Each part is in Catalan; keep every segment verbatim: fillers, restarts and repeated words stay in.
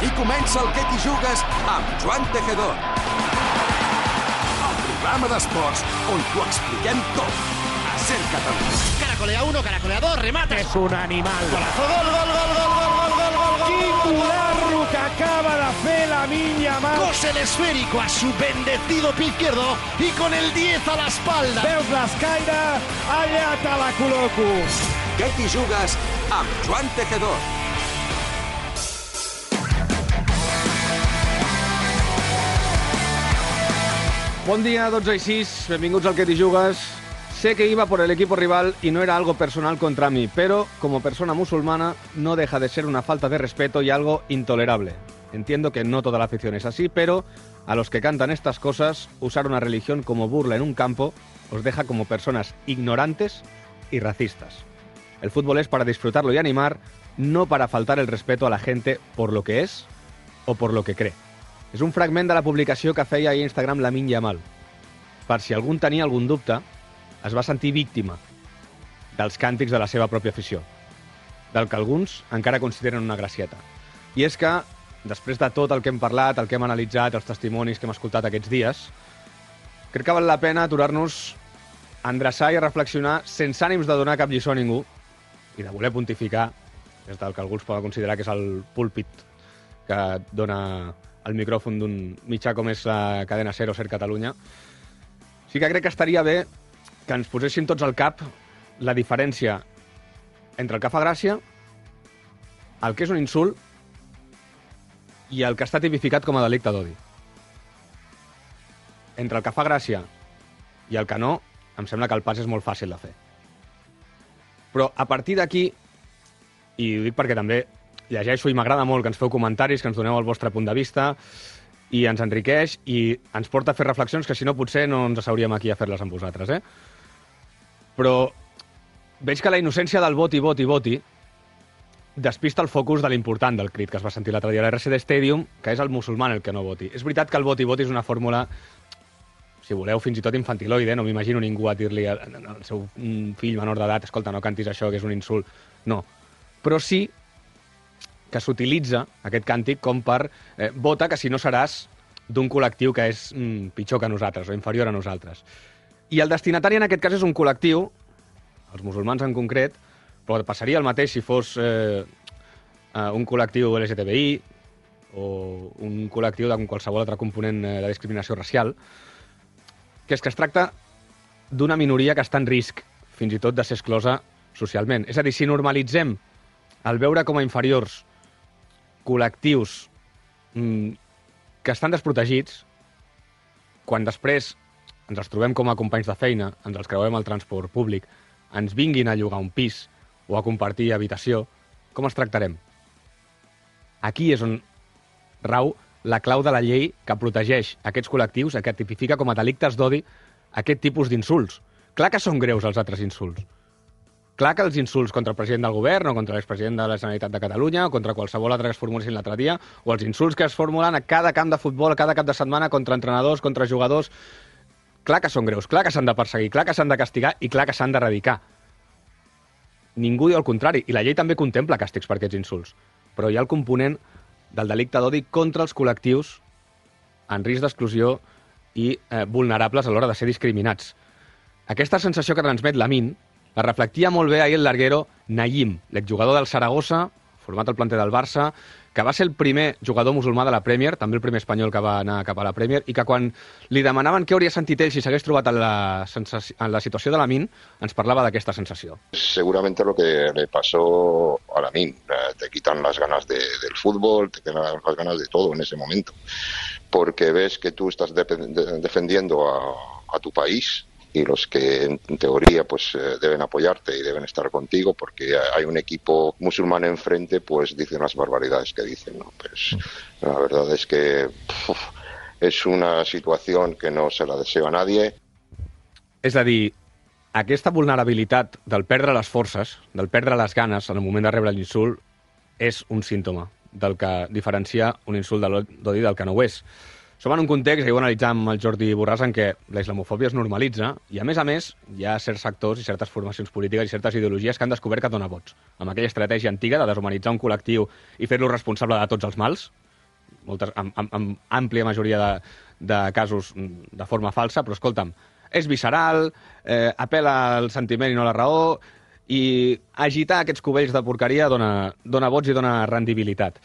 I comença el Què t'hi jugues amb Joan Tejedor. El programa d'esports on t'ho expliquem tot. A Ser Catalunya. Caracolea uno, caracolea dos, remate. És un animal. Golazo, gol, gol, gol, gol, gol, gol, gol, gol, gol. Quin golazo que acaba de fer Lamine Yamal. Cose el esférico a su bendecido pie izquierdo y con el diez a la espalda. Veus l'escaire? Allà te la col·loco. Què t'hi jugues amb Joan Tejedor. Bon dia, dotze i sis, benvinguts al Què t'hi jugues. Sé que iba por el equipo rival y no era algo personal contra mí, pero como persona musulmana no deja de ser una falta de respeto y algo intolerable. Entiendo que no toda la afición es así, pero a los que cantan estas cosas, usar una religión como burla en un campo os deja como personas ignorantes y racistas. El fútbol es para disfrutarlo y animar, no para faltar el respeto a la gente por lo que es o por lo que cree. És un fragment de la publicació que feia a Instagram Lamine Yamal. Per si algú tenia algun dubte, es va sentir víctima dels càntics de la seva pròpia afició, del que alguns encara consideren una gracieta. I és que, després de tot el que hem parlat, el que hem analitzat, els testimonis que hem escoltat aquests dies, crec que val la pena aturar-nos a endreçar i a reflexionar sense ànims de donar cap lliçó a ningú i de voler pontificar des del que alguns poden considerar que és el púlpit que dona el micròfon d'un mitjà com és la cadena SER o SER Catalunya. Sí que crec que estaria bé que ens poséssim tots al cap la diferència entre el que fa gràcia, el que és un insult i el que està tipificat com a delicte d'odi. Entre el que fa gràcia i el que no, em sembla que el pas és molt fàcil de fer. Però a partir d'aquí, i ho dic perquè també llegeixo i m'agrada molt que ens feu comentaris, que ens doneu el vostre punt de vista i ens enriqueix i ens porta a fer reflexions que si no potser no ens asseuríem aquí a fer-les amb vosaltres, eh? Però veig que la innocència del voti, voti, voti despista el focus de l'important del crit que es va sentir l'altre dia a l'R C D Stadium, que és el musulman el que no voti. És veritat que el voti, voti és una fórmula, si voleu, fins i tot infantiloide, no m'imagino ningú a dir-li al seu fill menor d'edat, escolta, no cantis això, que és un insult. No. Però sí que s'utilitza aquest càntic com per eh, vota que si no seràs d'un col·lectiu que és mm, pitjor que nosaltres o inferior a nosaltres. I el destinatari en aquest cas és un col·lectiu, els musulmans en concret, però passaria el mateix si fos eh, un col·lectiu L G T B I o un col·lectiu de qualsevol altre component de discriminació racial, que és que es tracta d'una minoria que està en risc, fins i tot de ser exclosa socialment. És a dir, si normalitzem el veure com a inferiors col·lectius mmm, que estan desprotegits, quan després ens els trobem com a companys de feina, ens els creuem al transport públic, ens vinguin a llogar un pis o a compartir habitació, com els tractarem? Aquí és on rau la clau de la llei que protegeix aquests col·lectius, que tipifica com a delictes d'odi aquest tipus d'insults. Clar que són greus els altres insults. Clar que els insults contra el president del govern o contra l'expresident de la Generalitat de Catalunya o contra qualsevol altre que es formulessin l'altre dia, o els insults que es formulen a cada camp de futbol, a cada cap de setmana contra entrenadors, contra jugadors, clar que són greus, clar que s'han de perseguir, clar que s'han de castigar i clar que s'han d'erradicar. Ningú diu el contrari, i la llei també contempla càstigs per aquests insults, però hi ha el component del delicte d'odi contra els col·lectius en risc d'exclusió i eh, vulnerables a l'hora de ser discriminats. Aquesta sensació que transmet Lamine la reflectia molt bé ahir el larguero Nayim, l'exjugador del Saragossa, format al planter del Barça, que va ser el primer jugador musulmà de la Premier, també el primer espanyol que va anar cap a la Premier, i que quan li demanaven què hauria sentit ell si s'hagués trobat en la, en la situació de Lamine, ens parlava d'aquesta sensació. Seguramente lo que le pasó a Lamine, te quitan las ganas de, del fútbol, te quitan las ganas de todo en ese momento, porque ves que tú estás de, de, defendiendo a, a tu país, y los que en teoría pues eh, deben apoyarte y deben estar contigo porque hay un equipo musulmán enfrente, pues dicen las barbaridades que dicen, ¿no? Pues la verdad es que uf, es una situación que no se la deseo a nadie. És a dir, aquesta vulnerabilitat del perdre les forces, del perdre les ganes en el moment de rebre l'insult, és un símptoma del que diferencia un insult d'odi del que no ho és. Som en un context, ahir ho analitzàvem amb el Jordi Borràs, en què la islamofòbia es normalitza i, a més a més, hi ha certs sectors i certes formacions polítiques i certes ideologies que han descobert que dona vots. Amb aquella estratègia antiga de deshumanitzar un col·lectiu i fer-lo responsable de tots els mals, moltes, amb, amb, amb àmplia majoria de, de casos de forma falsa, però escolta'm, és visceral, eh, apel·la al sentiment i no a la raó, i agitar aquests cubells de porqueria dona, dona vots i dona rendibilitat.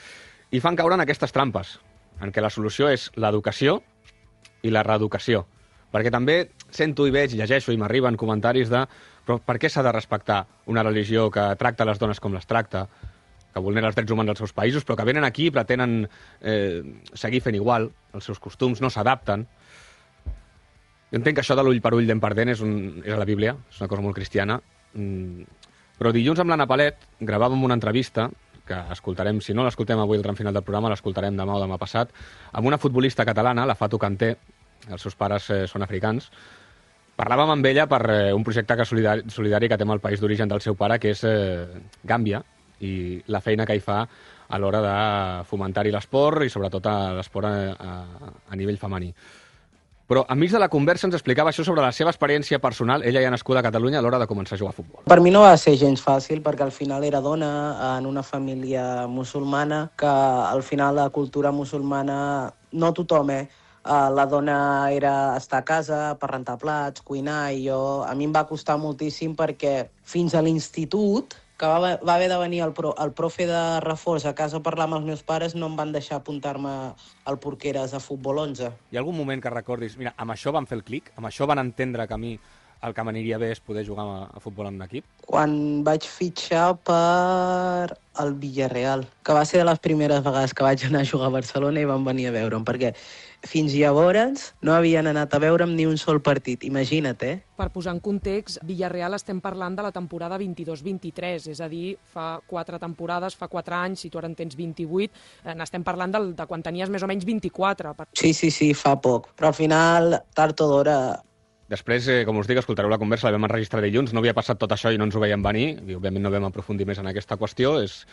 I fan caure en aquestes trampes, en què la solució és l'educació i la reeducació. Perquè també sento i veig, llegeixo i m'arriben comentaris de però per què s'ha de respectar una religió que tracta les dones com les tracta, que vulnera els drets humans dels seus països, però que venen aquí i pretenen eh, seguir fent igual, els seus costums no s'adapten. Jo entenc que això de l'ull per ull, dent per dent, és, un, és a la Bíblia, és una cosa molt cristiana, mm. però dilluns amb l'Anna Palet gravàvem una entrevista, que escoltarem, si no l'escoltem avui al tram final del programa, l'escoltarem demà o demà passat, amb una futbolista catalana, la Fatou Kanté, els seus pares eh, són africans. Parlàvem amb ella per eh, un projecte que solidari, solidari que té amb el país d'origen del seu pare, que és eh, Gàmbia, i la feina que hi fa a l'hora de fomentar-hi l'esport i sobretot l'esport a, a, a nivell femení. Però enmig de la conversa ens explicava això sobre la seva experiència personal, ella ja nascuda a Catalunya, a l'hora de començar a jugar a futbol. Per mi no va ser gens fàcil, perquè al final era dona en una família musulmana, que al final la cultura musulmana, no tothom, eh? La dona era estar a casa per rentar plats, cuinar, i jo, a mi em va costar moltíssim perquè fins a l'institut, que va, va haver de venir el, pro, el profe de reforç a casa a parlar amb els meus pares, no em van deixar apuntar-me al Porqueres a futbol onze. Hi ha algun moment que recordis, mira, amb això van fer el clic, amb això van entendre que a mi el que m'aniria bé és poder jugar a, a futbol en un equip? Quan vaig fitxar per el Villarreal, que va ser de les primeres vegades que vaig anar a jugar a Barcelona i van venir a veure'm, perquè fins llavors no havien anat a veure'm ni un sol partit, imagina't, eh? Per posar en context, Villarreal estem parlant de la temporada vint-i-dos vint-i-tres, és a dir, fa quatre temporades, fa quatre anys, si tu ara en tens vint-i-vuit, eh, n'estem parlant del, de quan tenies més o menys vint-i-quatre. Sí, sí, sí, fa poc, però al final, tard o d'hora... Després, eh, com us dic, escoltareu la conversa, la vam enregistrar dilluns, no havia passat tot això i no ens ho veiem venir, i òbviament no vam aprofundir més en aquesta qüestió, és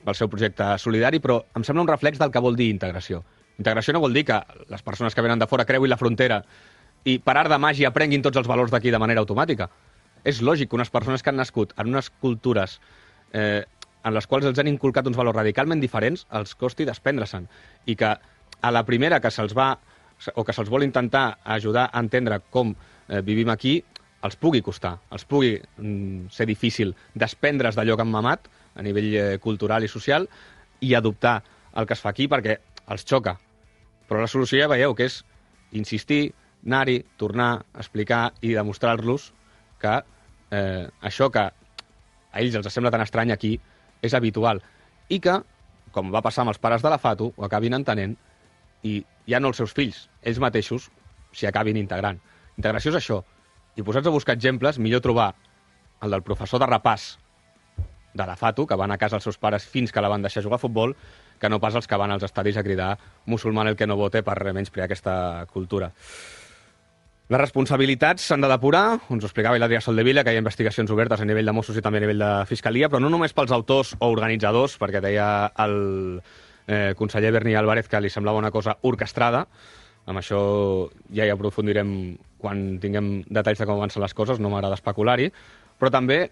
el seu projecte solidari, però em sembla un reflex del que vol dir integració. Integració no vol dir que les persones que venen de fora creuin la frontera i per art de màgia aprenguin tots els valors d'aquí de manera automàtica. És lògic que unes persones que han nascut en unes cultures eh, en les quals els han inculcat uns valors radicalment diferents els costi desprendre-se'n, i que a la primera que se'ls va o que se'ls vol intentar ajudar a entendre com eh, vivim aquí, els pugui costar, els pugui mm, ser difícil desprendre's d'allò que han mamat a nivell eh, cultural i social i adoptar el que es fa aquí perquè els xoca. Però la solució ja veieu que és insistir, anar-hi, tornar, explicar i demostrar-los que eh, això que a ells els sembla tan estrany aquí és habitual i que, com va passar amb els pares de la Fatou, ho acabin entenent i ja no els seus fills, ells mateixos s'hi acabin integrant. Integració és això. I posats a buscar exemples, millor trobar el del professor de repàs de la Fatou, que van a casa els seus pares fins que la van deixar jugar a futbol, que no pas els que van als estadis a cridar musulmán el que no vote per menysprear aquesta cultura. Les responsabilitats s'han de depurar, ens ho explicava l'Adrià Soldevila, que hi ha investigacions obertes a nivell de Mossos i també a nivell de Fiscalia, però no només pels autors o organitzadors, perquè deia el eh, conseller Berni Álvarez que li semblava una cosa orquestrada. Amb això ja hi aprofundirem quan tinguem detalls de com avancen les coses, no m'agrada especular-hi, però també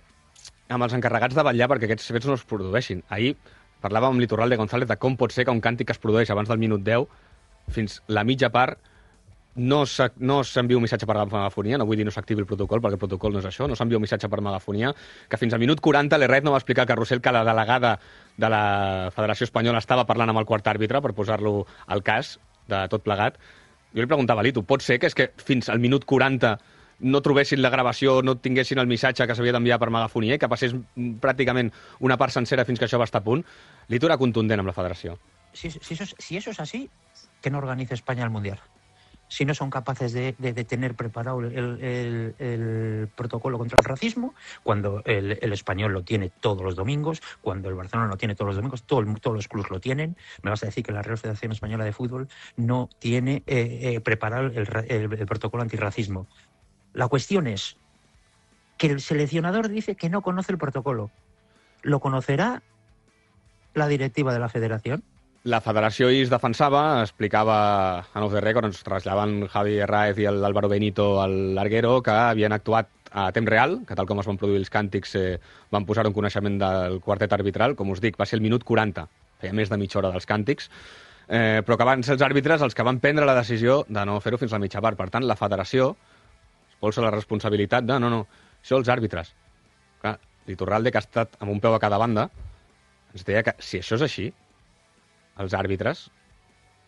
amb els encarregats de vetllar perquè aquests fets no es produeixin. Ahir parlàvem amb l'Iturralde González de com pot ser que un càntic que es produeix abans del minut deu fins la mitja part no s'envia un missatge per megafonia, no vull dir no s'activi el protocol, perquè el protocol no és això, no s'envia un missatge per megafonia, que fins al minut quaranta l'Herret no va explicar al Carrusel que la delegada de la Federació Espanyola estava parlant amb el quart àrbitre per posar-lo al cas de tot plegat. Jo li preguntava a l'Ito, pot ser que és que fins al minut quaranta no trobessin la gravació, no tinguessin el missatge que s'havia d'enviar per megafonia i que passés pràcticament una part sencera fins que això va estar a punt? L'Ito era contundent amb la federació. Si, si, eso, si eso es así, que no organice España el Mundial. Si no son capaces de, de, de tener preparado el, el, el protocolo contra el racismo, cuando el, el español lo tiene todos los domingos, cuando el Barcelona lo tiene todos los domingos, todo el, todos los clubes lo tienen, me vas a decir que la Real Federación Española de Fútbol no tiene eh, eh, preparado el, el, el protocolo antirracismo. La cuestión es que el seleccionador dice que no conoce el protocolo. ¿Lo conocerá la directiva de la federación? La federació hi es defensava, explicava en off the record, ens trasllaven Javi Herráez i l'Álvaro Benito al Larguero, que havien actuat a temps real, que tal com es van produir els càntics eh, van posar un coneixement del quartet arbitral. Com us dic, va ser el minut quaranta, feia més de mitja hora dels càntics, eh, però que van ser els àrbitres els que van prendre la decisió de no fer-ho fins a la mitja part. Per tant, la federació es posa la responsabilitat de no, no, això els àrbitres. Clar, l'Iturralde, que ha estat amb un peu a cada banda, ens deia que si això és així, els àrbitres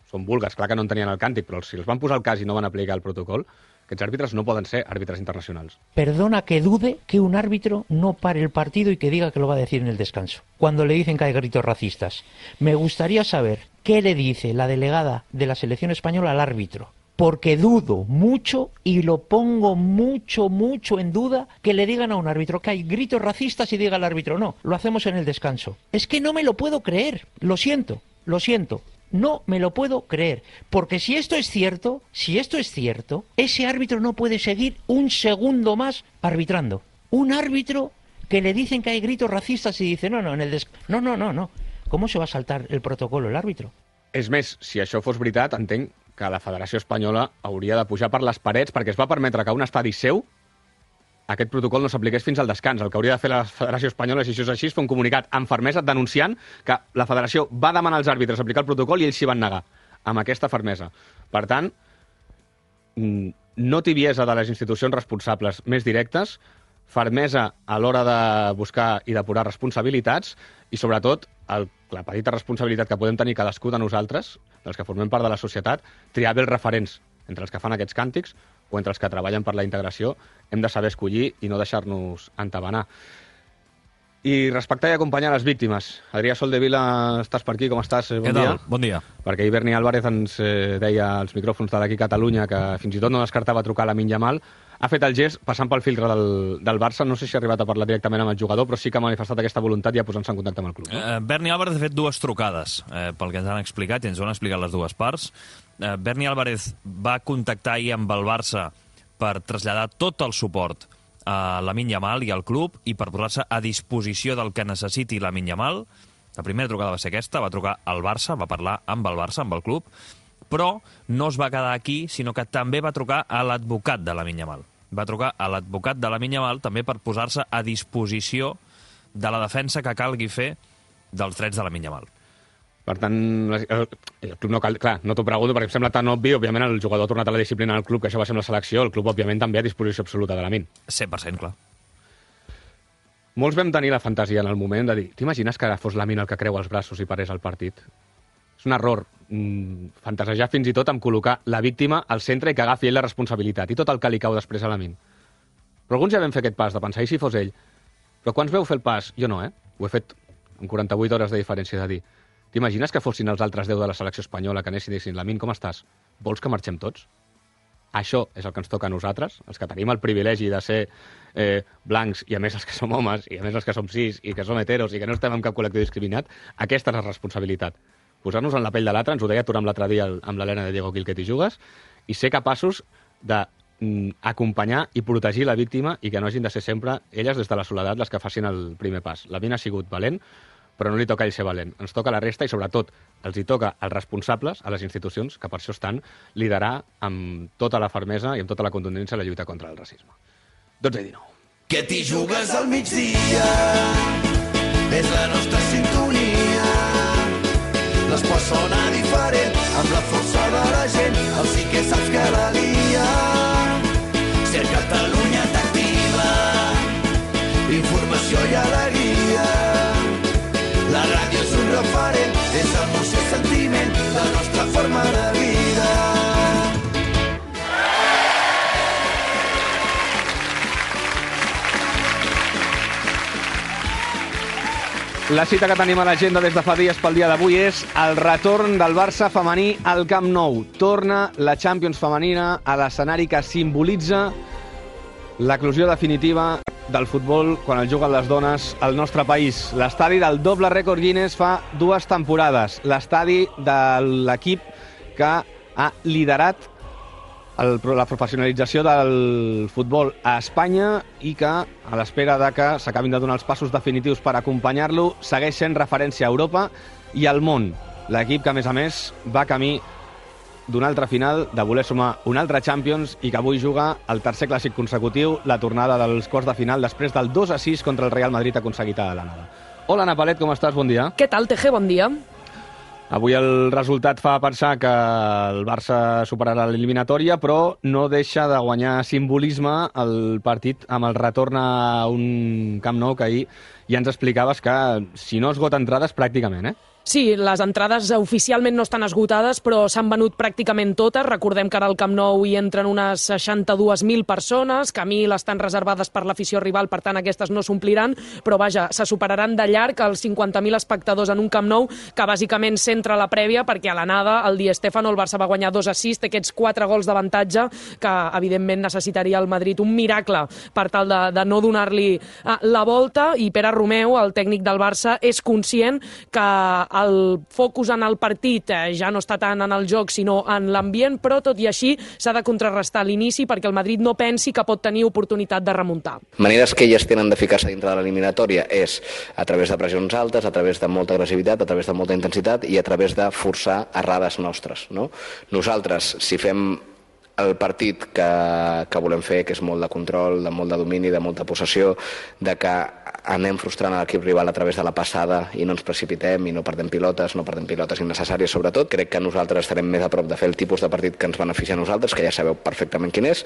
són vulgues, clar que no en tenien el càntic, però si els van posar el cas i no van aplicar el protocol, aquests àrbitres no poden ser àrbitres internacionals. Perdona que dude que un árbitro no pare el partido y que diga que lo va a decir en el descanso, cuando le dicen que hay gritos racistas. Me gustaría saber qué le dice la delegada de la selección española al árbitro, porque dudo mucho y lo pongo mucho, mucho en duda que le digan a un árbitro que hay gritos racistas y diga al árbitro, no, lo hacemos en el descanso. Es que no me lo puedo creer, lo siento, lo siento. No me lo puedo creer, porque si esto es cierto, si esto es cierto, ese árbitro no puede seguir un segundo más arbitrando. Un árbitro que le dicen que hay gritos racistas y dice, no, no, en el des... no, no, no, no. ¿Cómo se va a saltar el protocolo el árbitro? És més, si això fos veritat, entenc que la Federació Espanyola hauria de pujar per les parets perquè es va permetre que un estadi seu aquest protocol no s'apliqués fins al descans. El que hauria de fer la Federació Espanyola, si això és així, és fer un comunicat amb fermesa denunciant que la Federació va demanar als àrbitres aplicar el protocol i ells s'hi van negar, amb aquesta fermesa. Per tant, no tibiesa de les institucions responsables més directes, fermesa a l'hora de buscar i depurar responsabilitats i, sobretot, el, la petita responsabilitat que podem tenir cadascú de nosaltres, dels que formem part de la societat, triar bé els referents entre els que fan aquests càntics o entre els que treballen per la integració. Hem de saber escollir i no deixar-nos entabanar. I respectar i acompanyar les víctimes. Adrià Soldevila, estàs per aquí, com estàs? Bon Què dia. tal? Bon dia. Perquè ahir Berni Álvarez ens eh, deia als micròfons de d'aquí Catalunya que fins i tot no descartava trucar a Lamine Yamal. Ha fet el gest passant pel filtre del, del Barça. No sé si ha arribat a parlar directament amb el jugador, però sí que ha manifestat aquesta voluntat ja posant-se en contacte amb el club. No? Eh, Berni Álvarez ha fet dues trucades, eh, pel que ens han explicat, i ens ho han explicat les dues parts. Eh, Berni Álvarez va contactar ahir amb el Barça per traslladar tot el suport a Lamine Yamal i al club i per posar-se a disposició del que necessiti Lamine Yamal. La primera trucada va ser aquesta, va trucar al Barça, va parlar amb el Barça, amb el club, però no es va quedar aquí, sinó que també va trucar a l'advocat de Lamine Yamal. Va trucar a l'advocat de Lamine Yamal també per posar-se a disposició de la defensa que calgui fer dels drets de Lamine Yamal. Per tant, el, el club no cal... Clar, no t'ho pregunto perquè em sembla tan obvi. Òbviament, el jugador ha tornat a la disciplina del club, que això va ser amb la selecció. El club, òbviament, també a disposició absoluta de Lamine. cent per cent, clar. Molts vam tenir la fantasia en el moment de dir t'imagines que ara fos Lamine el que creu els braços i parés el partit? És un error mm, fantasejar fins i tot amb col·locar la víctima al centre i que agafi ell la responsabilitat i tot el que li cau després a Lamine. Però alguns ja vam fer aquest pas de pensar, i si fos ell? Però quants veu fer el pas? Jo no, eh? Ho he fet en quaranta-vuit hores de diferència de dir t'imagines que fossin els altres deu de la selecció espanyola que anessin i dissin Lamine, com estàs? Vols que marxem tots? Això és el que ens toca a nosaltres, els que tenim el privilegi de ser eh, blancs, i a més els que som homes, i a més els que som cis, i que som heteros, i que no estem en cap col·lectiu discriminat. Aquesta és la responsabilitat. Posar-nos en la pell de l'altre, ens ho deia Turam l'altre dia amb l'Helena de Diego Quilquet i Jugues, i ser capaços d'acompanyar i protegir la víctima i que no hagin de ser sempre elles des de la soledat les que facin el primer pas. Lamine ha sigut valent, però no li toca a ell ser valent. Ens toca a la resta i, sobretot, els hi toca als responsables, a les institucions, que per això estan, liderar amb tota la fermesa i amb tota la contundència la lluita contra el racisme. dotze i dinou. Que t'hi jugues al migdia és la nostra sintonia. L'esport sona diferent amb la força de la gent. El sí que saps que la lia. Ser Catalunya t'activa. Informació i alegria. La ràdio és un referent, és emoció i sentiment, la nostra forma de vida. La cita que tenim a l'agenda des de fa dies pel dia d'avui és el retorn del Barça femení al Camp Nou. Torna la Champions femenina a l'escenari que simbolitza l'eclosió definitiva del futbol quan el juguen les dones al nostre país. L'estadi del doble rècord Guinness fa dues temporades. L'estadi de l'equip que ha liderat el, la professionalització del futbol a Espanya i que, a l'espera de que s'acabin de donar els passos definitius per acompanyar-lo, segueix sent referència a Europa i al món. L'equip que, a més a més, va camí d'una altra final, de voler sumar un altre Champions i que avui juga el tercer clàssic consecutiu, la tornada dels quarts de final després del dos a sis contra el Real Madrid aconseguit a l'Anada. Hola, Ana Palet, com estàs? Bon dia. Què tal, Teje? Bon dia. Avui el resultat fa pensar que el Barça superarà l'eliminatòria, però no deixa de guanyar simbolisme el partit amb el retorn a un Camp Nou, que ahir ja ens explicaves que si no esgota entrades pràcticament, eh? Sí, les entrades oficialment no estan esgotades, però s'han venut pràcticament totes. Recordem que ara al Camp Nou hi entren unes seixanta-dues mil persones, que mil estan reservades per l'afició rival, per tant aquestes no s'ompliran, però vaja, se superaran de llarg els cinquanta mil espectadors en un Camp Nou, que bàsicament centra la prèvia, perquè a l'anada el Di Stéfano, el Barça va guanyar dos a sis, té aquests quatre gols d'avantatge, que evidentment necessitaria el Madrid un miracle per tal de, de no donar-li la volta, i Pere Romeu, el tècnic del Barça, és conscient que el focus en el partit ja no està tant en el joc sinó en l'ambient, però tot i així s'ha de contrarrestar l'inici perquè el Madrid no pensi que pot tenir oportunitat de remuntar. Maneres que elles tenen de ficar-se dintre de l'eliminatòria és a través de pressions altes, a través de molta agressivitat, a través de molta intensitat i a través de forçar errades nostres, no? Nosaltres, si fem el partit que, que volem fer, que és molt de control, de molt de domini, de molta possessió, de que anem frustrant l'equip rival a través de la passada i no ens precipitem i no perdem pilotes, no perdem pilotes innecessàries sobretot. Crec que nosaltres estarem més a prop de fer el tipus de partit que ens beneficia a nosaltres, que ja sabeu perfectament quin és.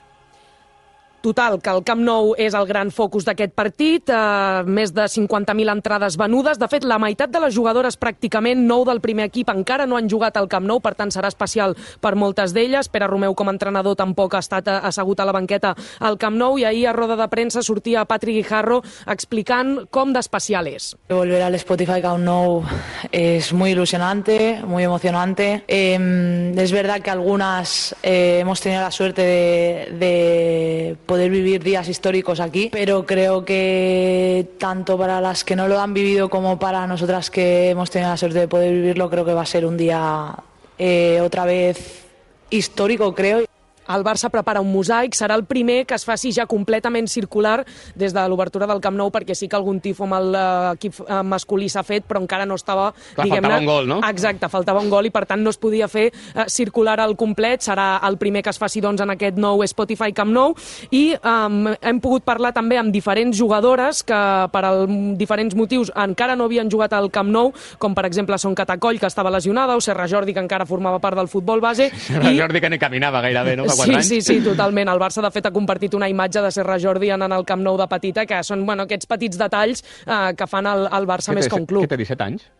Total, que el Camp Nou és el gran focus d'aquest partit, eh, més de cinquanta mil entrades venudes. De fet, la meitat de les jugadores, pràcticament nou del primer equip, encara no han jugat al Camp Nou, per tant serà especial per moltes d'elles. Pere Romeu, com a entrenador, tampoc ha estat assegut a la banqueta al Camp Nou, i ahir a roda de premsa sortia Patrick Guijarro explicant com d'especial és. Volver al Spotify Camp Nou es muy ilusionante, muy emocionante. Eh, es verdad que algunas eh, hemos tenido la suerte de, de poder vivir días históricos aquí, pero creo que tanto para las que no lo han vivido como para nosotras que hemos tenido la suerte de poder vivirlo, creo que va a ser un día eh, otra vez histórico, creo. El Barça prepara un mosaic, serà el primer que es faci ja completament circular des de l'obertura del Camp Nou, perquè sí que algun tifo amb l'equip masculí s'ha fet, però encara no estava... Clar, faltava un gol, no? Exacte, faltava un gol i per tant no es podia fer eh, circular al complet. Serà el primer que es faci doncs, en aquest nou Spotify Camp Nou, i eh, hem pogut parlar també amb diferents jugadores que per al, diferents motius encara no havien jugat al Camp Nou, com per exemple Son Catacoll, que estava lesionada, o Serra Jordi, que encara formava part del futbol base. Serra i... Jordi, que ni caminava gairebé, no? Sí, sí, sí, totalment. El Barça, de fet, ha compartit una imatge de Serra Jordi anant al Camp Nou de petita, que són bueno, aquests petits detalls eh, que fan el, el Barça més que un club. Què té, disset anys?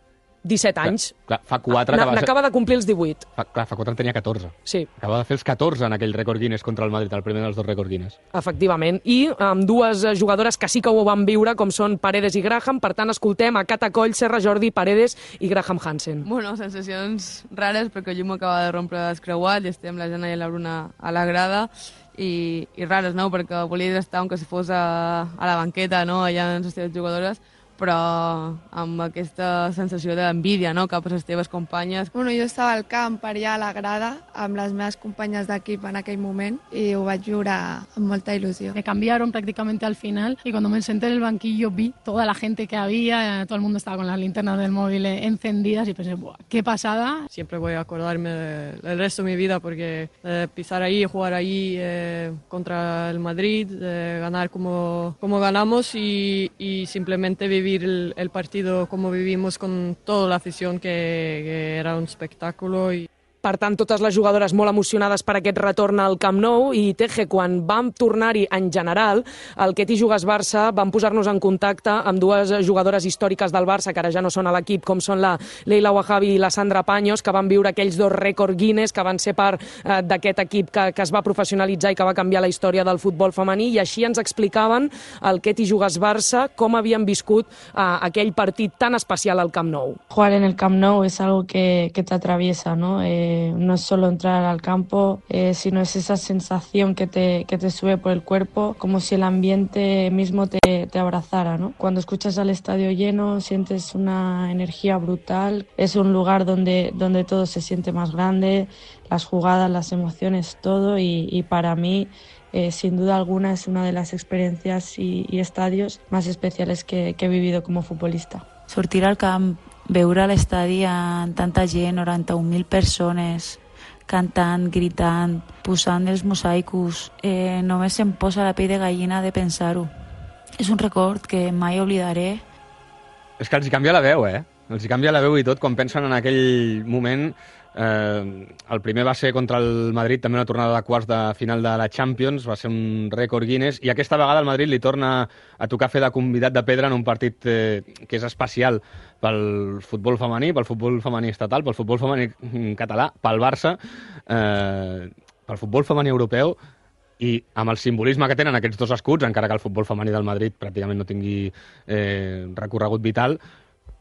disset anys. Clar, fa quatre... N'acaba de complir els divuit. Fa, clar, fa quatre en tenia catorze. Sí. Acaba de fer els catorze en aquell rècord Guinness contra el Madrid, el primer dels dos rècords Guinness. Efectivament. I amb dues jugadores que sí que ho van viure, com són Paredes i Graham. Per tant, escoltem a Catacoll, Serra Jordi, Paredes i Graham Hansen. Bueno, sensacions rares, perquè el llum acaba de rompre descreuat i estem la Jana i la Bruna a la grada. I, i rares, no? Perquè volia estar, aunque si fos a, a la banqueta, no? Allà amb les teves jugadores, però amb aquesta sensació d'envídia, no?, cap a les teves companyes. Bueno, jo estava al camp per allà a la grada amb les meves companyes d'equip en aquell moment y ho vaig viure amb molta ilusión. Me cambiaron prácticamente al final y cuando me senté en el banquillo vi toda la gente que había, todo el mundo estaba con las linternas del móvil encendidas y pensé, ¡buah, qué pasada! Siempre voy a acordarme del resto de mi vida porque eh, pisar ahí, jugar ahí eh, contra el Madrid, eh, ganar como, como ganamos y, y simplemente vivir El, el partido como vivimos con toda la afición, que, que era un espectáculo. Y... Per tant, totes les jugadores molt emocionades per aquest retorn al Camp Nou, i Teje, quan vam tornar-hi en general, el Queti Jugues Barça vam posar-nos en contacte amb dues jugadores històriques del Barça, que ara ja no són a l'equip, com són la Leila Wahabi i la Sandra Paños, que van viure aquells dos rècords Guinness, que van ser part eh, d'aquest equip que, que es va professionalitzar i que va canviar la història del futbol femení, i així ens explicaven el Queti Jugues Barça com havien viscut eh, aquell partit tan especial al Camp Nou. Jugar en el Camp Nou es algo que, que te atraviesa, ¿no? Eh... No es solo entrar al campo, eh, sino es esa sensación que te, que te sube por el cuerpo, como si el ambiente mismo te, te abrazara, ¿no? Cuando escuchas al estadio lleno, sientes una energía brutal. Es un lugar donde, donde todo se siente más grande, las jugadas, las emociones, todo. Y, y para mí, eh, sin duda alguna, es una de las experiencias y, y estadios más especiales que, que he vivido como futbolista. Sortir al camp, veure l'estadi amb tanta gent, noranta-un mil persones, cantant, gritant, posant els mosaicos, eh, només em posa la pell de gallina de pensar-ho. És un record que mai oblidaré. És que els canvia la veu, eh? Els canvia la veu i tot quan pensen en aquell moment. Eh, el primer va ser contra el Madrid, també una tornada de quarts de final de la Champions, va ser un rècord Guinness, i aquesta vegada el Madrid li torna a tocar fer de convidat de pedra en un partit eh, que és especial pel futbol femení, pel futbol femení estatal, pel futbol femení català, pel Barça, eh, pel futbol femení europeu, i amb el simbolisme que tenen aquests dos escuts, encara que el futbol femení del Madrid pràcticament no tingui eh, recorregut vital,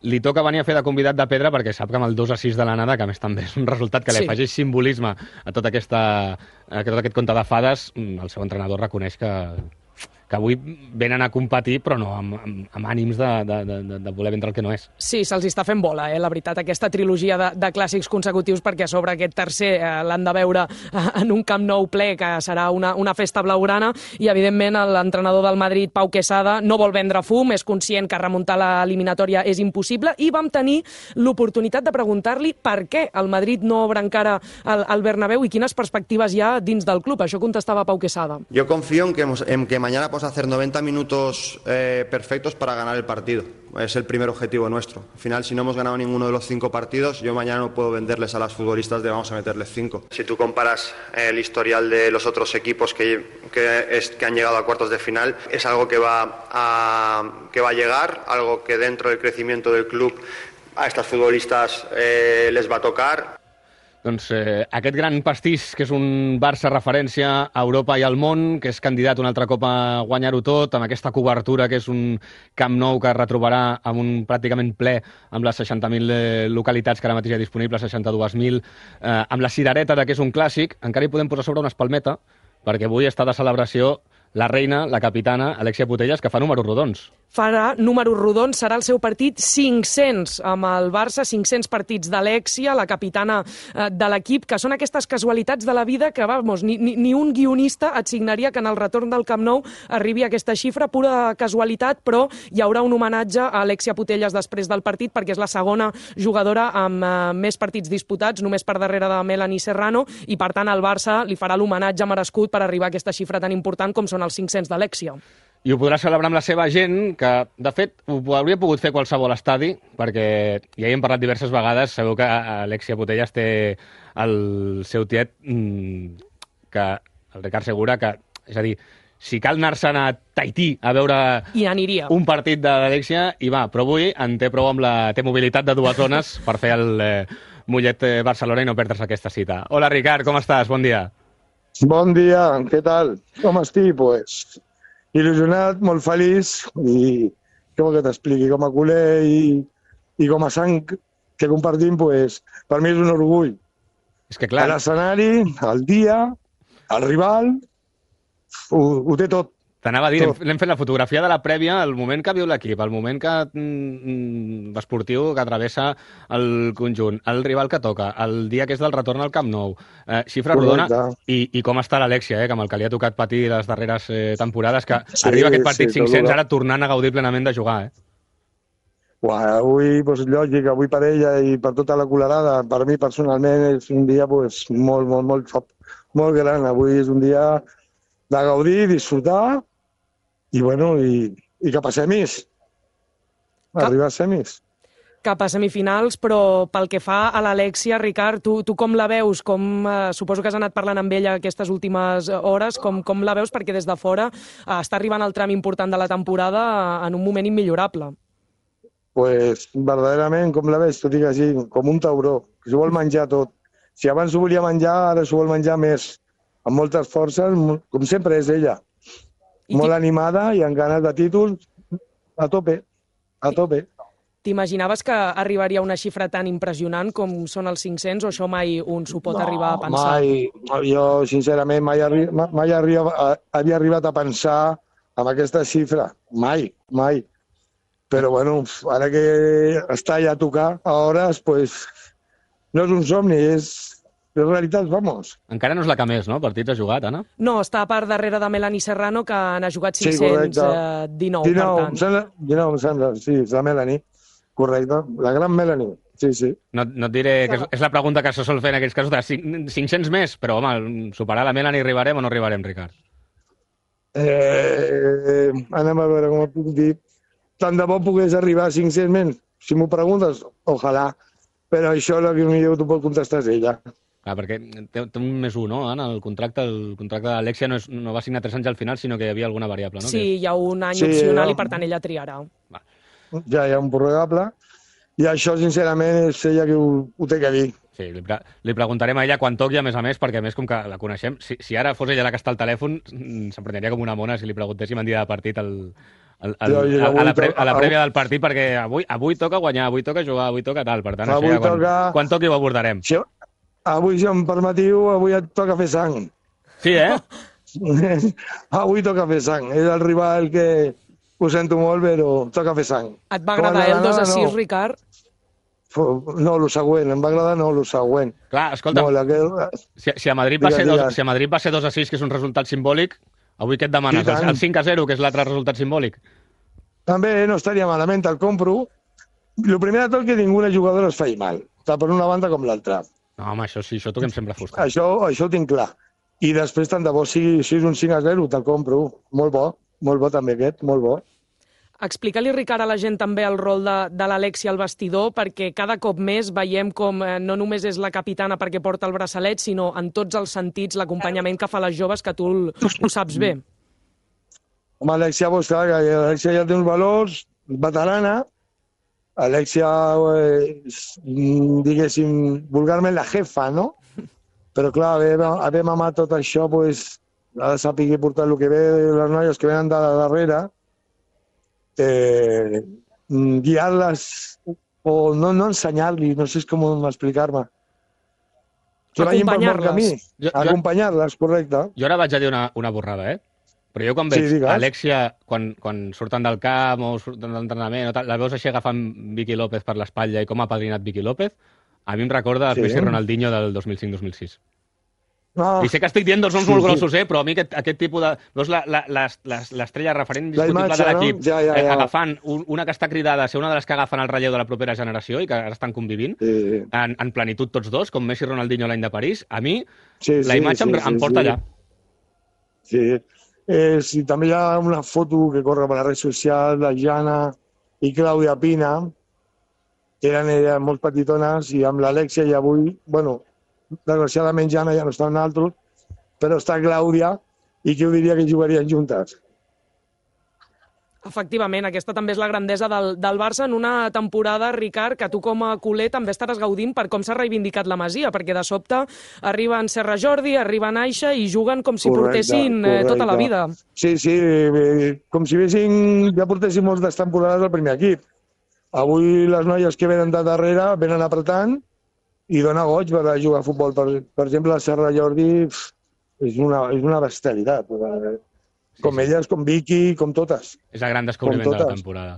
li toca venir a fer de convidat de pedra perquè sap que amb el dos a sis de l'anada, que a més també és un resultat que li afegeix simbolisme a tot, aquesta, a tot aquest conte de fades, el seu entrenador reconeix que, que avui venen a competir, però no amb, amb, amb ànims de, de, de, de voler vendre el que no és. Sí, se'ls està fent bola, eh, la veritat, aquesta trilogia de, de clàssics consecutius, perquè a sobre aquest tercer eh, l'han de veure en un Camp Nou ple, que serà una, una festa blaugrana, i evidentment l'entrenador del Madrid, Pau Quesada, no vol vendre fum, és conscient que remuntar l'eliminatòria és impossible, i vam tenir l'oportunitat de preguntar-li per què el Madrid no obre encara el, el Bernabéu i quines perspectives hi ha dins del club. Això contestava Pau Quesada. Yo confío en que, en que mañana podemos hacer noventa minutos eh, perfectos para ganar el partido. Es el primer objetivo nuestro. Al final, si no hemos ganado ninguno de los cinco partidos, yo mañana no puedo venderles a las futbolistas de vamos a meterles cinco. Si tú comparas el historial de los otros equipos que, que, es, que han llegado a cuartos de final, es algo que va a, que va a llegar, algo que dentro del crecimiento del club a estas futbolistas eh, les va a tocar. Doncs eh, aquest gran pastís, que és un Barça referència a Europa i al món, que és candidat una altra cop a guanyar-ho tot, amb aquesta cobertura que és un Camp Nou que es retrobarà amb un pràcticament ple amb les seixanta mil eh, localitats que ara mateix hi ha disponibles, seixanta-dues mil, eh, amb la cirereta de que és un clàssic, encara hi podem posar sobre una espalmeta, perquè avui està de celebració la reina, la capitana, Alexia Putellas, que fa números rodons. Farà números rodons, serà el seu partit cinc-cents amb el Barça, cinc-cents partits d'Alexia, la capitana eh, de l'equip, que són aquestes casualitats de la vida que, vamos, ni, ni, ni un guionista et signaria que en el retorn del Camp Nou arribi a aquesta xifra, pura casualitat, però hi haurà un homenatge a Alexia Putellas després del partit, perquè és la segona jugadora amb eh, més partits disputats, només per darrere de Melanie Serrano, i per tant el Barça li farà l'homenatge merescut per arribar a aquesta xifra tan important com són els cinc-cents d'Alexia. I ho podrà celebrar amb la seva gent, que, de fet, ho hauria pogut fer qualsevol estadi, perquè ja hi hem parlat diverses vegades, sabeu que Alexia Putellas té el seu tiet, que el Ricard Segura, que, és a dir, si cal anar-se'n a Tahití a veure un partit de l'Alexia, hi va, però avui en té prou amb la té mobilitat de dues zones per fer el eh, Mollet Barcelona i no perdre's aquesta cita. Hola, Ricard, com estàs? Bon dia. Bon dia, què tal? Com estic? Pues il·lusionat, molt feliç i què vol que t'expliqui, com a culer i, i com a sang que compartim, pues, per mi és un orgull. És que clar... L'escenari, el dia, el rival, ho, ho té tot. T'anava a dir, hem fet la fotografia de la prèvia, el moment que viu l'equip, el moment que mm, esportiu que travessa el conjunt, el rival que toca, el dia que és del retorn al Camp Nou, eh, xifra rodona, i, i com està l'Alexia, eh, que amb el que li ha tocat patir les darreres eh, temporades, que sí, arriba aquest partit sí, cinc-cents ara tornant a gaudir plenament de jugar, eh? Uah, avui, pues, lògic, avui per ella i per tota la colerada, per mi personalment és un dia pues, molt, molt, molt, molt gran. Avui és un dia de gaudir, disfrutar, i, bueno, i, i cap a semis. Arribar a semis. Cap a semifinals, però pel que fa a l'Alexia, Ricard, tu, tu com la veus? Com, eh, suposo que has anat parlant amb ella aquestes últimes hores. Com, com la veus? Perquè des de fora eh, està arribant el tram important de la temporada en un moment immillorable. Pues, verdaderament, com la veig, tot i que sí, com un tauró, que s'ho vol menjar tot. Si abans s'ho volia menjar, ara s'ho vol menjar més. Amb moltes forces, com sempre és ella. Molt animada i amb ganes de títols a tope, a tope. T'imaginaves que arribaria a una xifra tan impressionant com són els cinc-cents o això mai un s'ho pot no, arribar a pensar? Mai, jo sincerament mai, arri mai arriba, havia arribat a pensar en aquesta xifra, mai, mai. Però bueno, ara que està ja a tocar a hores, pues, no és un somni, és... és realitat, vamos. Encara no és la que més, no? Partits ha jugat, Anna? No, està per darrere de Melanie Serrano, que n'ha jugat cinc-cents dinou, sí, dinou, per tant. Em sembla, dinou, em sembla, sí, és la Melanie. Correcte, la gran Melanie, sí, sí. No, no et diré que és, és la pregunta que se sol fer en aquests casos de cinc-cents més, però, home, superar la Melanie arribarem o no arribarem, Ricard? Eh, anem a veure com ho puc dir. Tant de bo pogués arribar a cinc-cents menys. si m'ho preguntes, ojalà, però això el que millor t'ho pot contestar és ella. Clar, perquè té, té un més un, no? En el contracte, el contracte d'Alexia no, és, no va signar tres anys al final, sinó que hi havia alguna variable, no? Sí, que... hi ha un any Sí, opcional no. i per tant ella triarà. Ja hi ha un prorrogable, i això, sincerament, és ella que ho, ho té que dir. Sí, li, pre li preguntarem a ella quan toqui, a més a més, perquè a més, com que la coneixem, si, si ara fos ella la que està al telèfon, s'empreneria com una mona si li preguntéssim en dia de partit el, el, el, Jo, jo, a, a, la pre a la avui- prèvia del partit, perquè avui, avui toca guanyar, avui toca jugar, avui toca tal. Per tant, Avui això ja, quan, toca- quan toqui ho abordarem. Si, avui, si em permetiu, avui et toca fer sang. Sí, eh? Avui toca fer sang. És el rival que ho sento molt, però toca fer sang. Et va agradar Com el dos a sis, no. Ricard? No, el següent, em va agradar no, el següent. Clar, escolta, Molt, aquell... si, si, a Madrid va Digues, ser dos, digues. si a Madrid va ser dos a sis, que és un resultat simbòlic, avui què et demanes? I tant. El, el cinc a zero, que és l'altre resultat simbòlic? També no estaria malament, el compro. El primer de tot que ninguna jugadora es faci mal, tant per una banda com l'altra. No, home, això sí, això toquem sempre fusta. Això, això ho tinc clar. I després, tant de bo sigui, si és un cinc a zero, te'l compro. Molt bo, molt bo també aquest, molt bo. Explica-li, Ricard, a la gent també el rol de, de l'Alexia al vestidor, perquè cada cop més veiem com eh, no només és la capitana perquè porta el braçalet, sinó en tots els sentits l'acompanyament que fa a les joves, que tu el- ho saps bé. Home, Alexia, pues, clar, que Alexia ja té uns valors, veterana. Alexia, eh, és, mm, diguéssim, vulgarment la jefa, no? Però, clar, haver, haver mamat tot això, pues, ha de saber portar el que ve de les noies que venen de darrere, eh, guiar-les o no, no ensenyar-li, no sé com explicar-me. Que vagin pel bon camí. Jo- jo- Acompanyar-les, correcte. Jo ara vaig a dir una, una borrada, eh? Però jo quan Sí, veig digues. Alexia, quan, quan surten del camp o surten de l'entrenament, o tal, la veus així agafant Vicky López per l'espatlla i com ha padrinat Vicky López, a mi em recorda Sí. el Messi Ronaldinho del dos mil cinc dos mil sis. No. I sé que estic dient dos noms Sí, molt sí. grossos, eh? Però a mi aquest, aquest tipus de... Veus la- la- les- les- l'estrella referent La indiscutible imatge, de l'equip, no? Ja, ja, eh, ja. agafant un, una que està cridada a ser una de les que agafen el relleu de la propera generació i que ara estan convivint, Sí. en, en plenitud tots dos, com Messi Ronaldinho l'any de París, a mi Sí, la sí, imatge sí, em, sí, em porta sí. allà. Sí. Eh, sí, també hi ha una foto que corre per la red social de Jana i Clàudia Pina, que eren elles molt petitones, i amb l'Alexia i avui, bueno, desgraciadament Jana ja no està en altres, però està Clàudia, i qui ho diria que jugarien juntes? Efectivament, aquesta també és la grandesa del, del Barça en una temporada, Ricard, que tu com a culer també estaràs gaudint per com s'ha reivindicat la Masia, perquè de sobte arriben Serra Jordi, arriben Aixa i juguen com si Correcte, portessin eh, tota la vida. Sí, sí, eh, com si vessin, ja portessin moltes temporades al primer equip. Avui les noies que venen de darrere venen apretant i dona goig per jugar a futbol. Per, per exemple, la Serra Jordi pf, és, una, és una bestialitat. Com sí, elles, com Vicky, com totes. És el gran descobriment Com de la totes. temporada.